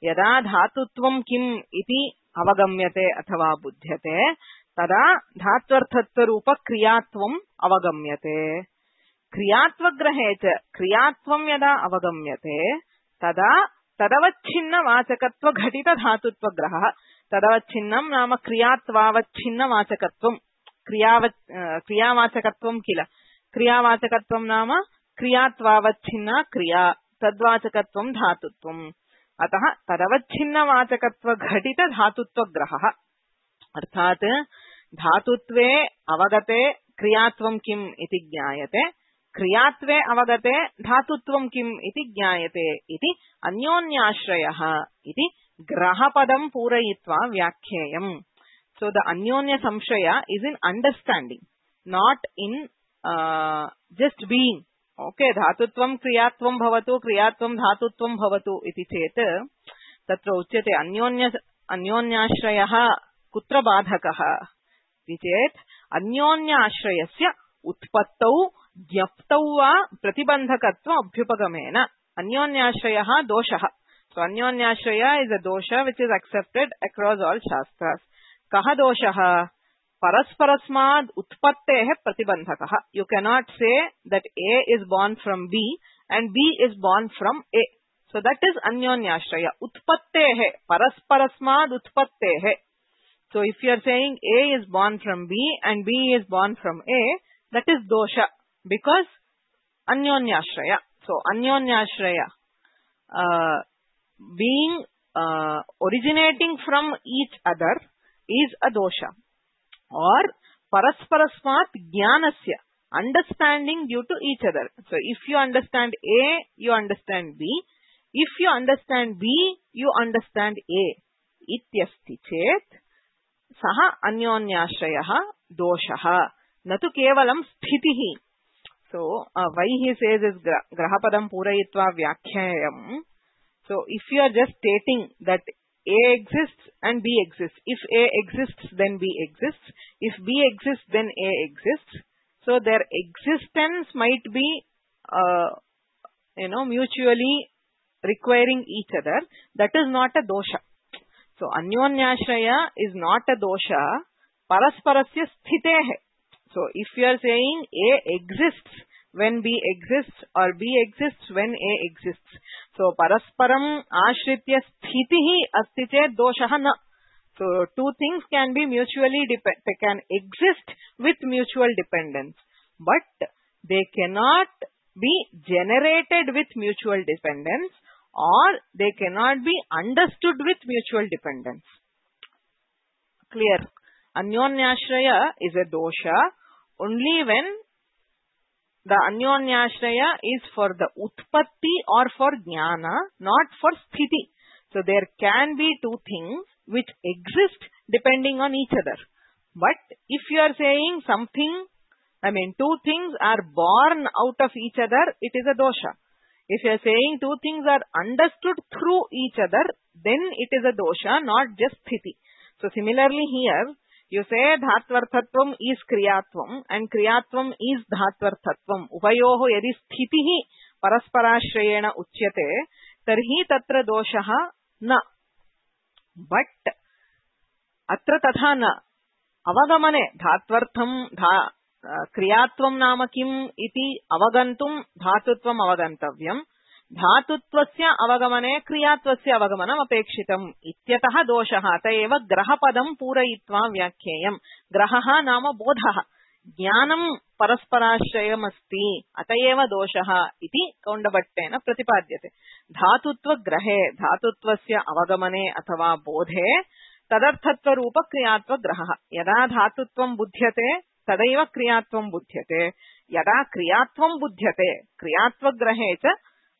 यदा धातुत्वं किम् इति अवगम्यते अथवा बुध्यते तदा धात्वर्थत्वरूप क्रियात्वम् अवगम्यते क्रियात्वग्रहे च क्रियात्वं यदा अवगम्यते तदा तदवच्छिन्नवाचकत्व घटित धातुत्वग्रहः तदवच्छिन्नं नाम क्रियात्वावच्छिन्नवाचकत्वं क्रियाव क्रियावाचकत्वं किल क्रियावाचकत्वं नाम क्रियात्वावच्छिन्ना क्रिया तद्वाचकत्वं धातुत्वम् अतः तदवच्छिन्नवाचकत्व घटित धातुत्वग्रहः अर्थात् धातुत्वे अवगते क्रियात्वं किम् इति ज्ञायते क्रियात्वे अवगते धातुत्वं किम् इति ज्ञायते इति अन्योन्याश्रयः इति ग्रहपदं पूरयित्वा व्याख्येयम् सो द अन्योन्य संशय is in understanding not in just being okay धातुत्वं क्रियात्वं भवतु क्रियात्वं धातुत्वं भवतु इति चेत् तत्र उच्यते अन्योन्य अन्योन्याश्रयः कुत्र बाधकः इति चेत् अन्योन्याश्रयस्य उत्पत्तौ ज्ञप्तौ वा प्रतिबन्धकत्व अभ्युपगमेन अन्योन्याश्रयः दोषः So Anyonyashraya is a dosha which is accepted across all shastras. Kaha doshaha? Parasparasmad utpattehe pratibandhakaha. You cannot say that A is born from B and B is born from A. So that is Anyonyashraya. Utpattehe. Parasparasmad utpattehe. So if you are saying A is born from B and B is born from A, that is dosha because Anyonyashraya. So Anyonyashraya uh, being uh, originating from each other is a dosha. Or parasparasmat jnanasya, understanding due to each other. So if you understand A, you understand B. If you understand B, you understand A. Ityasti chet saha anyonyashrayah doshaha natu kevalam sthitihi. So uh, why he says is gra grahapadam purayitva vyakhyayam. So if you are just stating that A exists and B exists. If A exists, then B exists. If B exists, then A exists. So their existence might be, uh, you know, mutually requiring each other. That is not a dosha. So Anyonyashraya is not a dosha. Parasparasya sthitehe. So if you are saying A exists when B exists or B exists when A exists. So parasparam ashritya sthitihi asti chet doshaha na. So two things can be mutually depend, they can exist with mutual dependence, but they cannot be generated with mutual dependence or they cannot be understood with mutual dependence. Clear? Anyonyashraya is a dosha only when the Anyonyashraya is for the utpatti or for jnana, not for sthiti. So there can be two things which exist depending on each other. But if you are saying something, I mean two things are born out of each other, it is a dosha. If you are saying two things are understood through each other, then it is a dosha, not just sthiti. So similarly here, you say dhatvarthatvam is kriyatvam and kriyatvam is dhatvarthatvam. Upayoho yadi sthitihi parasparashrayena uchyate tarhi tatra doshaha na. But atra tatha na. Avagamane dhatvartham dha kriyatvam nama kim iti avagantum dhatutvam avagantavyam. Dhatutvasya avagamane kriyatvasya avagamanam apekshitam ityatah doshaha atayeva grahapadam purayitva vyakheyam. Grahaha nama bodhaha. Jnanam parasparashrayam asti atayeva doshaha iti kaundabhattena pratipadyate. Dhatutva grahe dhatutvasya avagamane athava bodhe tadarthatva rupa kriyatva grahaha. Yada dhatutvam buddhyate tadaiva kriyatvam buddhyate. Yada kriyatvam buddhyate kriyatva grahe cha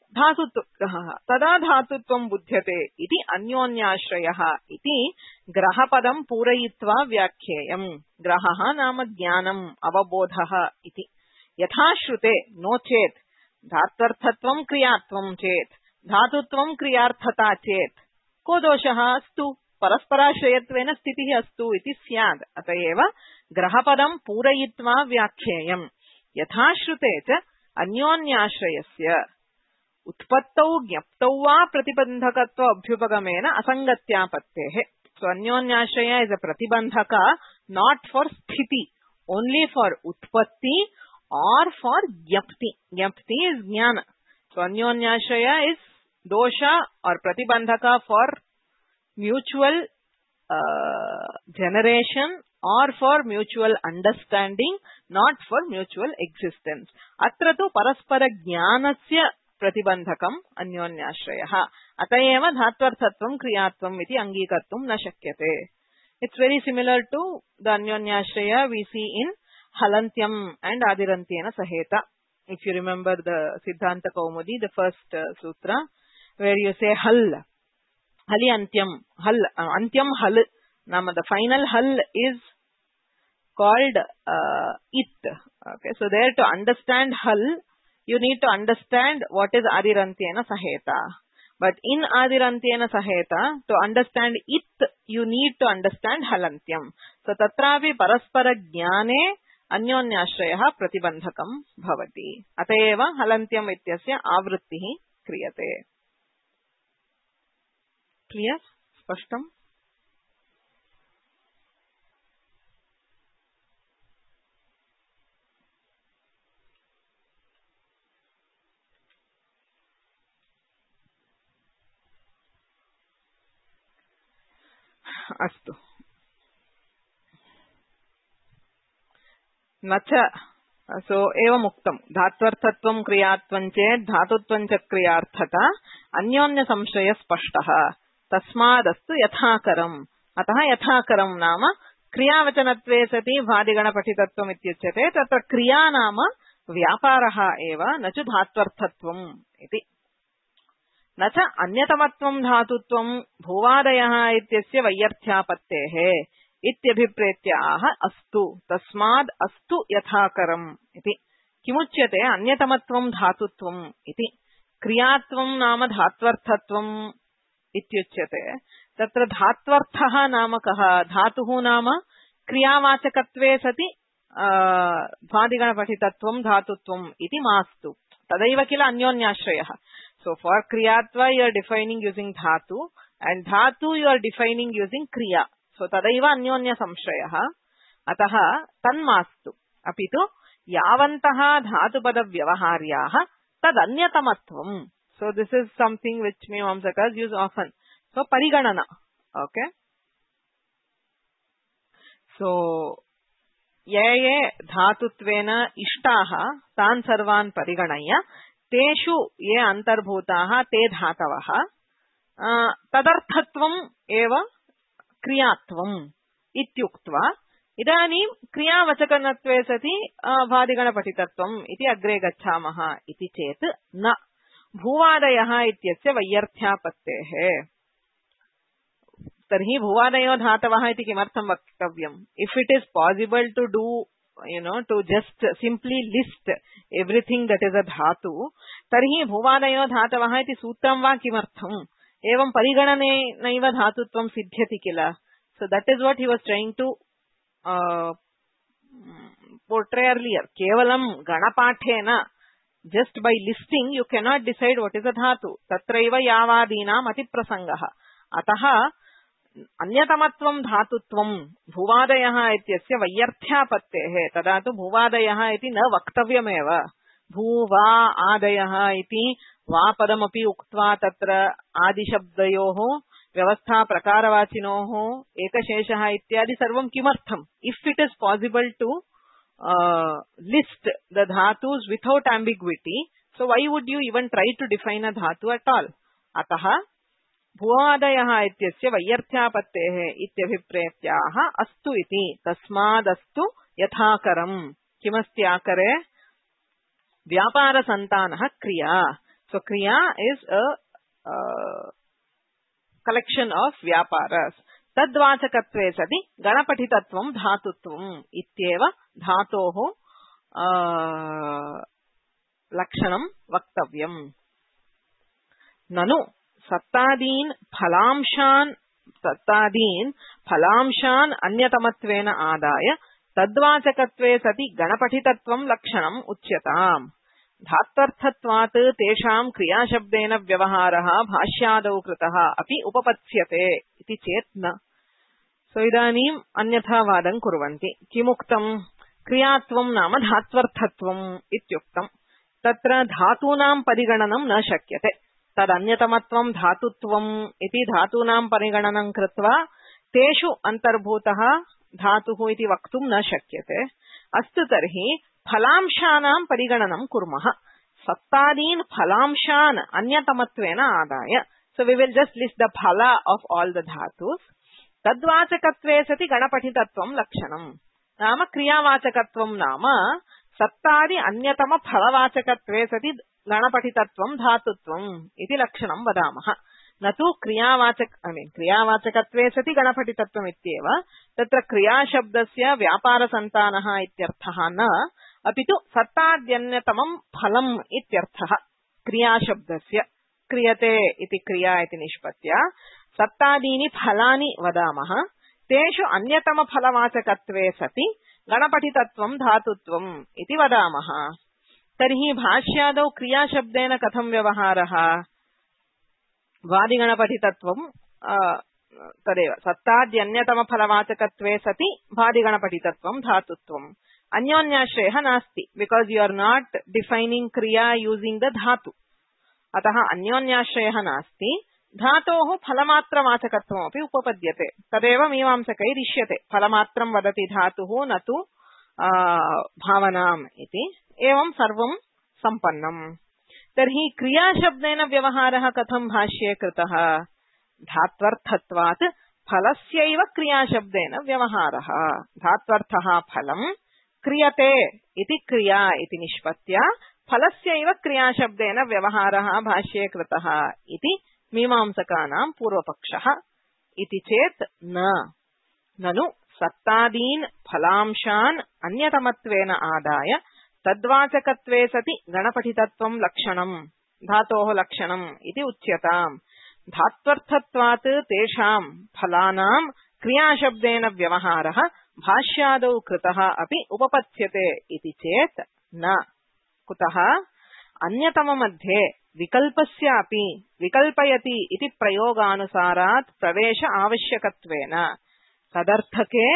Dhatutvah tada dhatutvam buddhyate iti anyonyashrayah iti grahapadam purayitva vyakheyam. Grahaha nama jnanam avabodhaha iti. Yatha shrute no chet dhatvarthatvam kriyatvam chet dhatutvam kriyarthata chet ko doshaha astu parasparashrayattvena sthitihi astu iti syad. Atayeva grahapadam purayitva vyakheyam. Yatha shrute cha anyonyashrayasya utpattau jnaptau va pratibandhakatva abhyupagamena asangatyapatteh. So Anyonyashraya is a pratibandhaka not for sthiti, only for utpatti or for jnapti. Jnapti is jnana. So Anyonyashraya is dosha or pratibandhaka for mutual uh, generation or for mutual understanding, not for mutual existence. Atra tu paraspara jnanasya pratibandhakam anyonyashrayah. Atayeva dhatvarthatvam kriyatvam iti angikattum na shakyate. It's very similar to the anyonyashraya we see in halantyam and adirantyena saheta. If you remember the Siddhanta Kaumudi, the first uh, sutra, where you say hal, hali antyam, hal, uh, antyam hal. Nama, the final hal is called uh, it. Okay, so there to understand hal, you need to understand what is Adirantyena Saheta. But in Adirantyena Saheta, to understand it, you need to understand Halantyam. So tatravi paraspara jnane anyonyashrayah pratibandhakam bhavati. Atayeva Halantyam ityasya avrittihi kriyate. Clear स्पष्टम अस्तु न च सो एवं उक्तम् धात्वर्थत्वं क्रियात्वं चेत् धातुत्वं च क्रियार्थता अन्योन्य संशय स्पष्टः तस्मादस्तु यथाकरम् अतः यथाकरम् नाम क्रियावचनत्वे सति भादिगणपठितत्वम् इत्युच्यते तत्र क्रिया नाम व्यापारः एव न च धात्वर्थत्वम् इति न च अन्यतमत्वं धातुत्वं भूवादयः इत्यस्य वैयर्थ्यापत्तेः इत्यभिप्रेत्य आह अस्तु तस्माद् अस्तु यथाकरम् इति किमुच्यते अन्यतमत्वं धातुत्वम् इति क्रियात्वं नाम धात्वर्थत्वम् इत्युच्यते तत्र धात्वर्थः नाम कः धातुः नाम क्रियावाचकत्वे सति भादिगणपठितत्वं धातुत्वम् इति मास्तु तदैव किल अन्योन्याश्रयः so for kriyatva you are defining using dhatu and dhatu you are defining using kriya so tadaiva anyonya samshrayah ataha tanmastu apitu yavantah dhatupada vyavaharyah tad anyatamatvam so this is something which mimamsakas use often so pariganana okay so ye ye dhatutvena ishtaha tan sarvan pariganaya तेषु ये अंतर्भूताः ते धातवः तदर्थत्वम् एव क्रियात्वम् इत्युक्त्वा इदानीं क्रियावचकत्वे सति भादिगणपठितत्वम् इति अग्रे गच्छामः इति चेत् न भूवादयः इत्यस्य वैयर्थ्यापत्तेः तर्हि भूवादयो धातवः इति किमर्थं वक्तव्यम् if it is possible to do you know to just simply list everything that is a dhatu tarhi bhuvadayo dhatavah iti sutram va kimartham evam pariganane naiva dhatutvam siddhyati kila so that is what he was trying to uh, portray earlier kevalam ganapathena just by listing you cannot decide what is a dhatu tatraiva yavadinam ati prasangah atah अन्यतमत्वं धातुत्वं भूवादयः इत्यस्य वैयर्थ्यापत्तेः तदा तु भूवादयः इति न वक्तव्यमेव भूवा आदयः इति वापदमपि उक्त्वा तत्र आदिशब्दयोः व्यवस्था प्रकारवाचिनोः एकशेषः इत्यादि सर्वं किमर्थम् if it is possible to list the dhatus without ambiguity so why would you even try to define a dhatu at all अतः भूवादयः इत्यस्य वैयर्थ्यापत्तेः इत्यभिप्रेत्याह अस्तु इति तस्मादस्तु यथाकरम् किमस्ति आकरे व्यापारसन्तानः क्रिया सो क्रिया इज अ कलेक्शन ऑफ व्यापारस् तद्वाचकत्वे सति गणपठितत्वं धातुत्वम् इत्येव धातोः लक्षणं वक्तव्यम् ननु सत्तादीन फलांशान सत्तादीन फलांशान अन्यतमत्वेन आदाय तद्वाचकत्वे सति गणपठितत्वं लक्षणम् उच्यताम् धात्वर्थत्वात् तेषां क्रियाशब्देन व्यवहारः भाष्यादौ कृतः अपि उपपत्स्यते इति चेत् न सो इदानीम् अन्यथा वादं कुर्वन्ति किमुक्तम् क्रियात्वं नाम धात्वर्थत्वम् इत्युक्तम् तत्र धातूनां परिगणनं न शक्यते तदन्यतमत्वं धातुत्वम् इति धातूनां परिगणनं कृत्वा तेषु अंतर्भूतः धातुः इति वक्तुं न शक्यते अस्तु तर्हि फलांशानां परिगणनं कुर्मः सत्तादीन् फलांशान् अन्यतमत्वेन आदाय so we will just list the फला ऑफ ऑल द धातुस् तद्वाचकत्वे सति गणपठितत्वं लक्षणं नाम क्रियावाचकत्वं नाम सत्तादि अन्यतम फलवाचकत्वे सति गणपठितत्वं धातुत्वम् इति लक्षणं वदामः न तु क्रियावाचक आई मीन क्रियावाचकत्वे सति गणपठितत्वम् इत्येव तत्र क्रियाशब्दस्य व्यापारसन्तानः इत्यर्थः न अपि तु सत्ताद्यन्यतमं फलम् इत्यर्थः क्रियाशब्दस्य क्रियते इति क्रिया इति निष्पत्त्या सत्तादीनि फलानि वदामः तेषु अन्यतम फलवाचकत्वे सति गणपठितत्वं धातुत्वम् इति वदामः तर्हि भाष्यादौ क्रियाशब्देन कथं व्यवहारः वादिगणपठितत्वं तदेव सत्ताद्यन्यतमफलवाचकत्वे सति भादिगणपठितत्वं धातुत्वम् अन्योन्याश्रयः नास्ति because you are not defining kriya using the dhatu अतः अन्योन्याश्रयः नास्ति धातोः फलमात्रवाचकत्वमपि उपपद्यते तदेव मीमांसकैः इष्यते फलमात्रं वदति धातुः न तु भावनाम् इति एवं सर्वं सम्पन्नम् तर्हि क्रियाशब्देन व्यवहारः कथं भाष्ये कृतः धात्वर्थत्वात् फलस्यैव क्रियाशब्देन व्यवहारः धात्वर्थः फलं क्रियते इति क्रिया इति निष्पत्त्या फलस्यैव क्रियाशब्देन व्यवहारः भाष्ये कृतः इति मीमांसकानां पूर्वपक्षः इति चेत् न ननु सत्तादीन् फलांशान् अन्यतमत्वेन आदाय तद्वाचकत्वे सति गणपठितत्वं लक्षणम् धातोः लक्षणम् इति उच्यताम् धात्वर्थत्वात् तेषां फलानां क्रियाशब्देन व्यवहारः भाष्यादौ कृतः अपि उपपत्स्यते इति चेत् न कुतः अन्यतममध्ये विकल्पस्यापि विकल्पयति इति प्रयोगानुसारात् प्रवेश आवश्यकत्वेन तदर्थके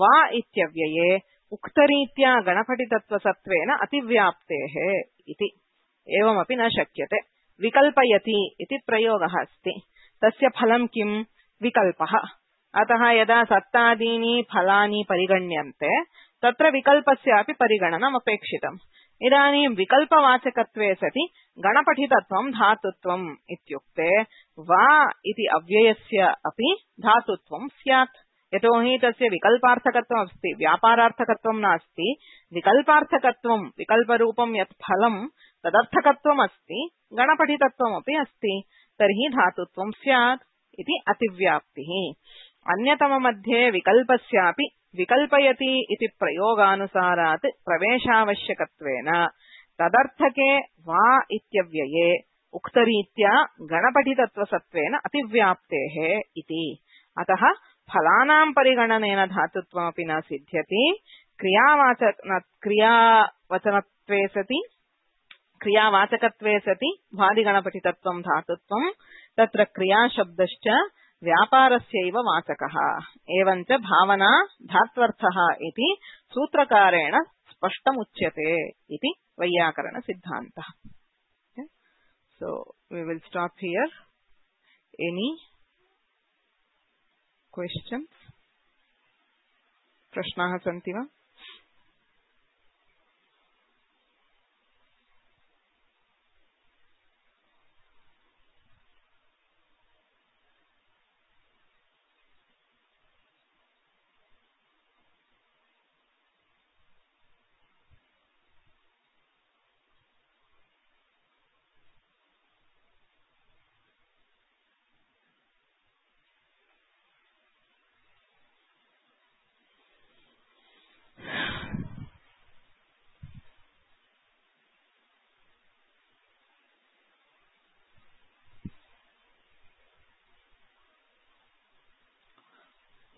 वा इत्यव्यये उक्तरीत्या गणपठितत्वसत्त्वेन अतिव्याप्तेः इति एवमपि न शक्यते विकल्पयति इति प्रयोगः अस्ति तस्य फलं किं विकल्पः अतः यदा सत्तादीनि फलानि परिगण्यन्ते तत्र विकल्पस्यापि परिगणनम् अपेक्षितम् इदानीं विकल्पवाचकत्वे सति गणपठितत्वं धातुत्वम् इत्युक्ते वा इति अव्ययस्य अपि धातुत्वं स्यात् यतोहि तस्य विकल्पार्थकत्वम् अस्ति व्यापारार्थकत्वं नास्ति विकल्पार्थकत्वं विकल्परूपं यत् फलं तदर्थकत्वम् अस्ति गणपठितत्वमपि अस्ति तर्हि धातुत्वं स्यात् इति अतिव्याप्तिः अन्यतममध्ये विकल्पस्यापि विकल्पयति इति प्रयोगानुसारात् प्रवेशावश्यकत्वेन तदर्थके वा इत्यव्यये उक्तरीत्या गणपठितत्वसत्त्वेन अतिव्याप्तेः इति अतः फलानां परिगणनेन धातुत्वमपि न सिद्ध्यति क्रियावाचक क्रियावचनत्वे सति क्रियावाचकत्वे सति भादिगणपठितत्वं धातुत्वं तत्र क्रियाशब्दश्च व्यापारस्यैव वाचकः एवञ्च भावना धात्वर्थः इति सूत्रकारेण स्पष्टमुच्यते इति वैयाकरण सिद्धान्तः so we will stop here any questions प्रश्नाः सन्ति वा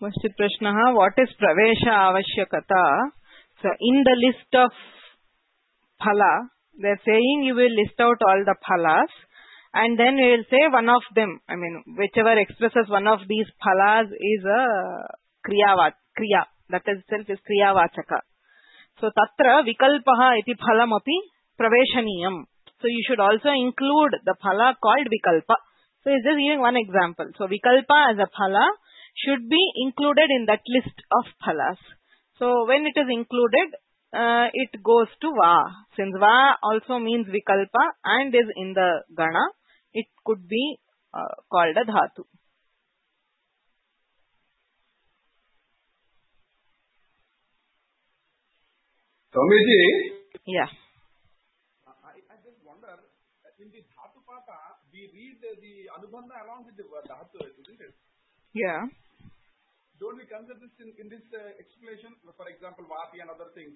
Question Prashnaha, what is pravesha avashyakata? So in the list of phala, they are saying you will list out all the phalas and then you will say one of them. I mean, whichever expresses one of these phalas is a kriya, kriya. That itself is kriya vachaka. So tatra vikalpaha iti phalam api praveshaniyam. So you should also include the phala called vikalpa. So he is just giving one example. So vikalpa as a phala should be included in that list of phalas. So when it is included, uh, it goes to va. Since va also means vikalpa and is in the gana, it could be uh, called a dhatu. Swamiji? Yeah. I, I just wonder, in the dhatu pata, we read the, the anubandha along with the dhatu, isn't it? Yeah. Don't we consider this in, in this uh, explanation? For example, vati and other things.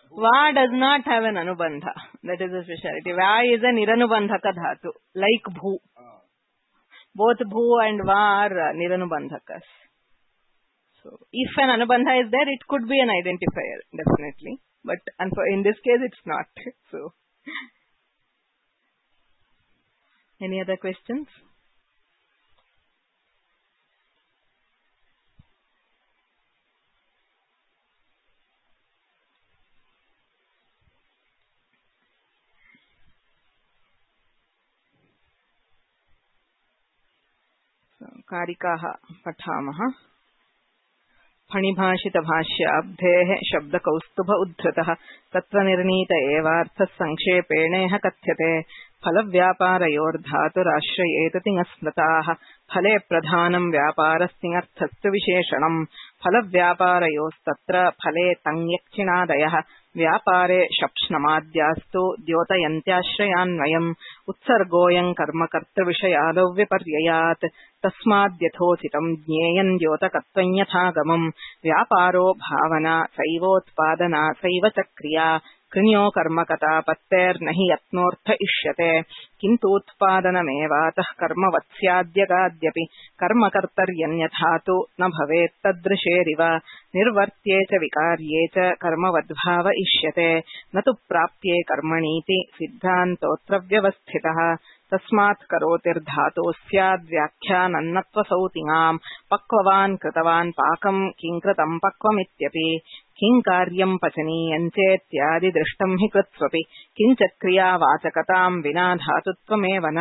Va does not have an anubandha. That is a speciality. Va is a niranubandhaka dhatu, like bhu. Ah. Both bhu and va are niranubandhakas. So, if an anubandha is there, it could be an identifier, definitely. But in this case, it's not. So, any other questions? कारिकाः पठामः। फणिभाषितभाष्याब्धेः शब्दकौस्तुभ उद्धृतः तत्र निर्णीत एवार्थः संक्षेपेणेह कथ्यते। फलव्यापारयोर्धातुराश्रयेत तिङस्मृताः फले प्रधानं व्यापारस्तिङर्थस्तु विशेषणम्। फलव्यापारयोस्तत्र फले तङ्यक्षिणादयः व्यापारे शप्ष्णमाद्यास्तु द्योतयन्त्याश्रयान्वयम्। उत्सर्गोऽयं कर्मकर्तृविषयादौ विपर्ययात् तस्माद्यथोचितं ज्ञेयं द्योतकत्वं यथागमम्। व्यापारो भावना सैवोत्पादना सैव च क्रिया कृण्यो कर्मकता पत्तेर्न हि यत्नोऽर्थ इष्यते। किन्तूत्पादनमेवातः कर्मवत्स्याद्यगाद्यपि कर्मकर्तर्यन्यथा तु न भवेत् तदृशेरिव। निर्वर्त्ये च विकार्ये च कर्मवद्भाव इष्यते न तु प्राप्ये कर्मणीति सिद्धान्तोऽत्र व्यवस्थितः। तस्मात् करोतिर्धातोः स्याद्व्याख्यानन्नत्वसौतिङाम्। पक्ववान् कृतवान् पाकं किं कृतं पक्वमित्यपि किं कार्यं पचनीयं चेत्यादि दृष्टं हि कृत्स्वपि किञ्च क्रियावाचकतां विना धातुत्वमेव न।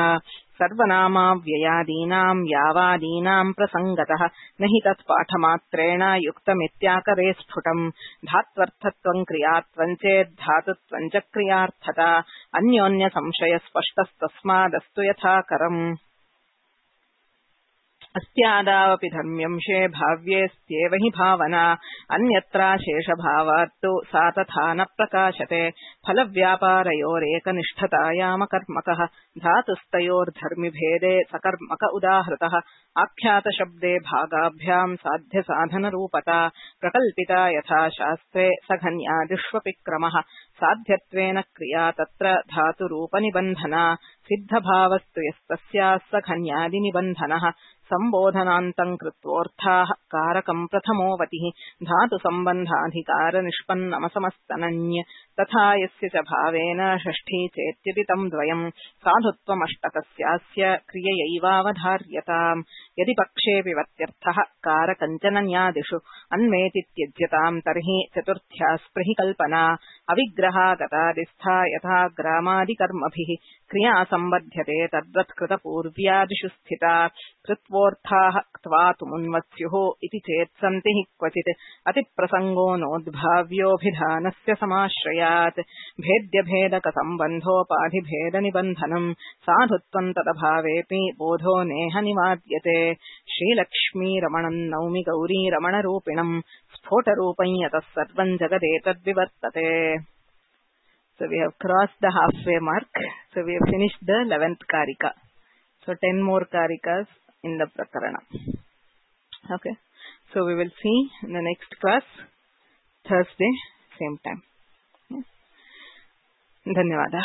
सर्वनामाव्ययादीनां यावादीनां प्रसङ्गतः न हि तत्पाठमात्रेण युक्तमित्याकरे स्फुटम्। धात्वर्थत्वं क्रियात्वं चेद्धातुत्वं च क्रियार्थता अन्योन्यसंशयस्पष्टस्तस्मादस्तु यथाकरम्। अस्यादावपि धर्म्यंशे भाव्येस्त्येव हि भावना अन्यत्राशेषभावात्तु सा तथा न प्रकाशते। फलव्यापारयोरेकनिष्ठतायामकर्मकः धातुस्तयोर्धर्मिभेदे सकर्मक उदाहृतः। आख्यातशब्दे भागाभ्यां साध्यसाधनरूपता प्रकल्पिता यथा शास्त्रे सघन्यादिष्वपि क्रमः। साध्यत्वेन क्रिया तत्र धातुरूपनिबन्धना सिद्धभावस्तु यस्तस्याः सघन्यादिनिबन्धनः। संबोधनान्तं कृत्वोऽर्थाः कारकं प्रथमोऽवतिः धातुसम्बन्धाधिकारनिष्पन्नमसमस्तनन्य तथा यस्य च भावेन षष्ठी चेत्यपि तं द्वयम् साधुत्वमष्टकस्यास्य क्रिययैवावधार्यताम्। यदि पक्षेऽपि वत्यर्थः कारकञ्चनन्यादिषु अन्वेति त्यज्यताम् तर्हि चतुर्थ्या स्पृहि कल्पना अविग्रहागतादिस्था यथा ग्रामादिकर्मभिः क्रिया सम्बध्यते तद्वत्कृतपूर्व्यादिषु स्थिता। कृत्वोऽर्थाः क्त्वातुमुन्वत्स्युः इति चेत् सन्ति हि क्वचित् अतिप्रसङ्गो नोद्भाव्योऽभिधानस्य समाश्रयात्। भेद्यभेदकसम्बन्धोपाधिभेदनिबन्धनम् साधुत्वं तदभावेऽपि बोधो नेह निवाद्यते। श्रीलक्ष्मीरमणं नौमि गौरीरमणरूपिणम् स्फोटरूपं यतः सर्वं जगदेतद्विवर्तते। So we have crossed the halfway mark. So we have finished the eleventh karika. So ten more karikas in the prakarana. Okay. So we will see in the next class, Thursday, same time. Dhanyavada.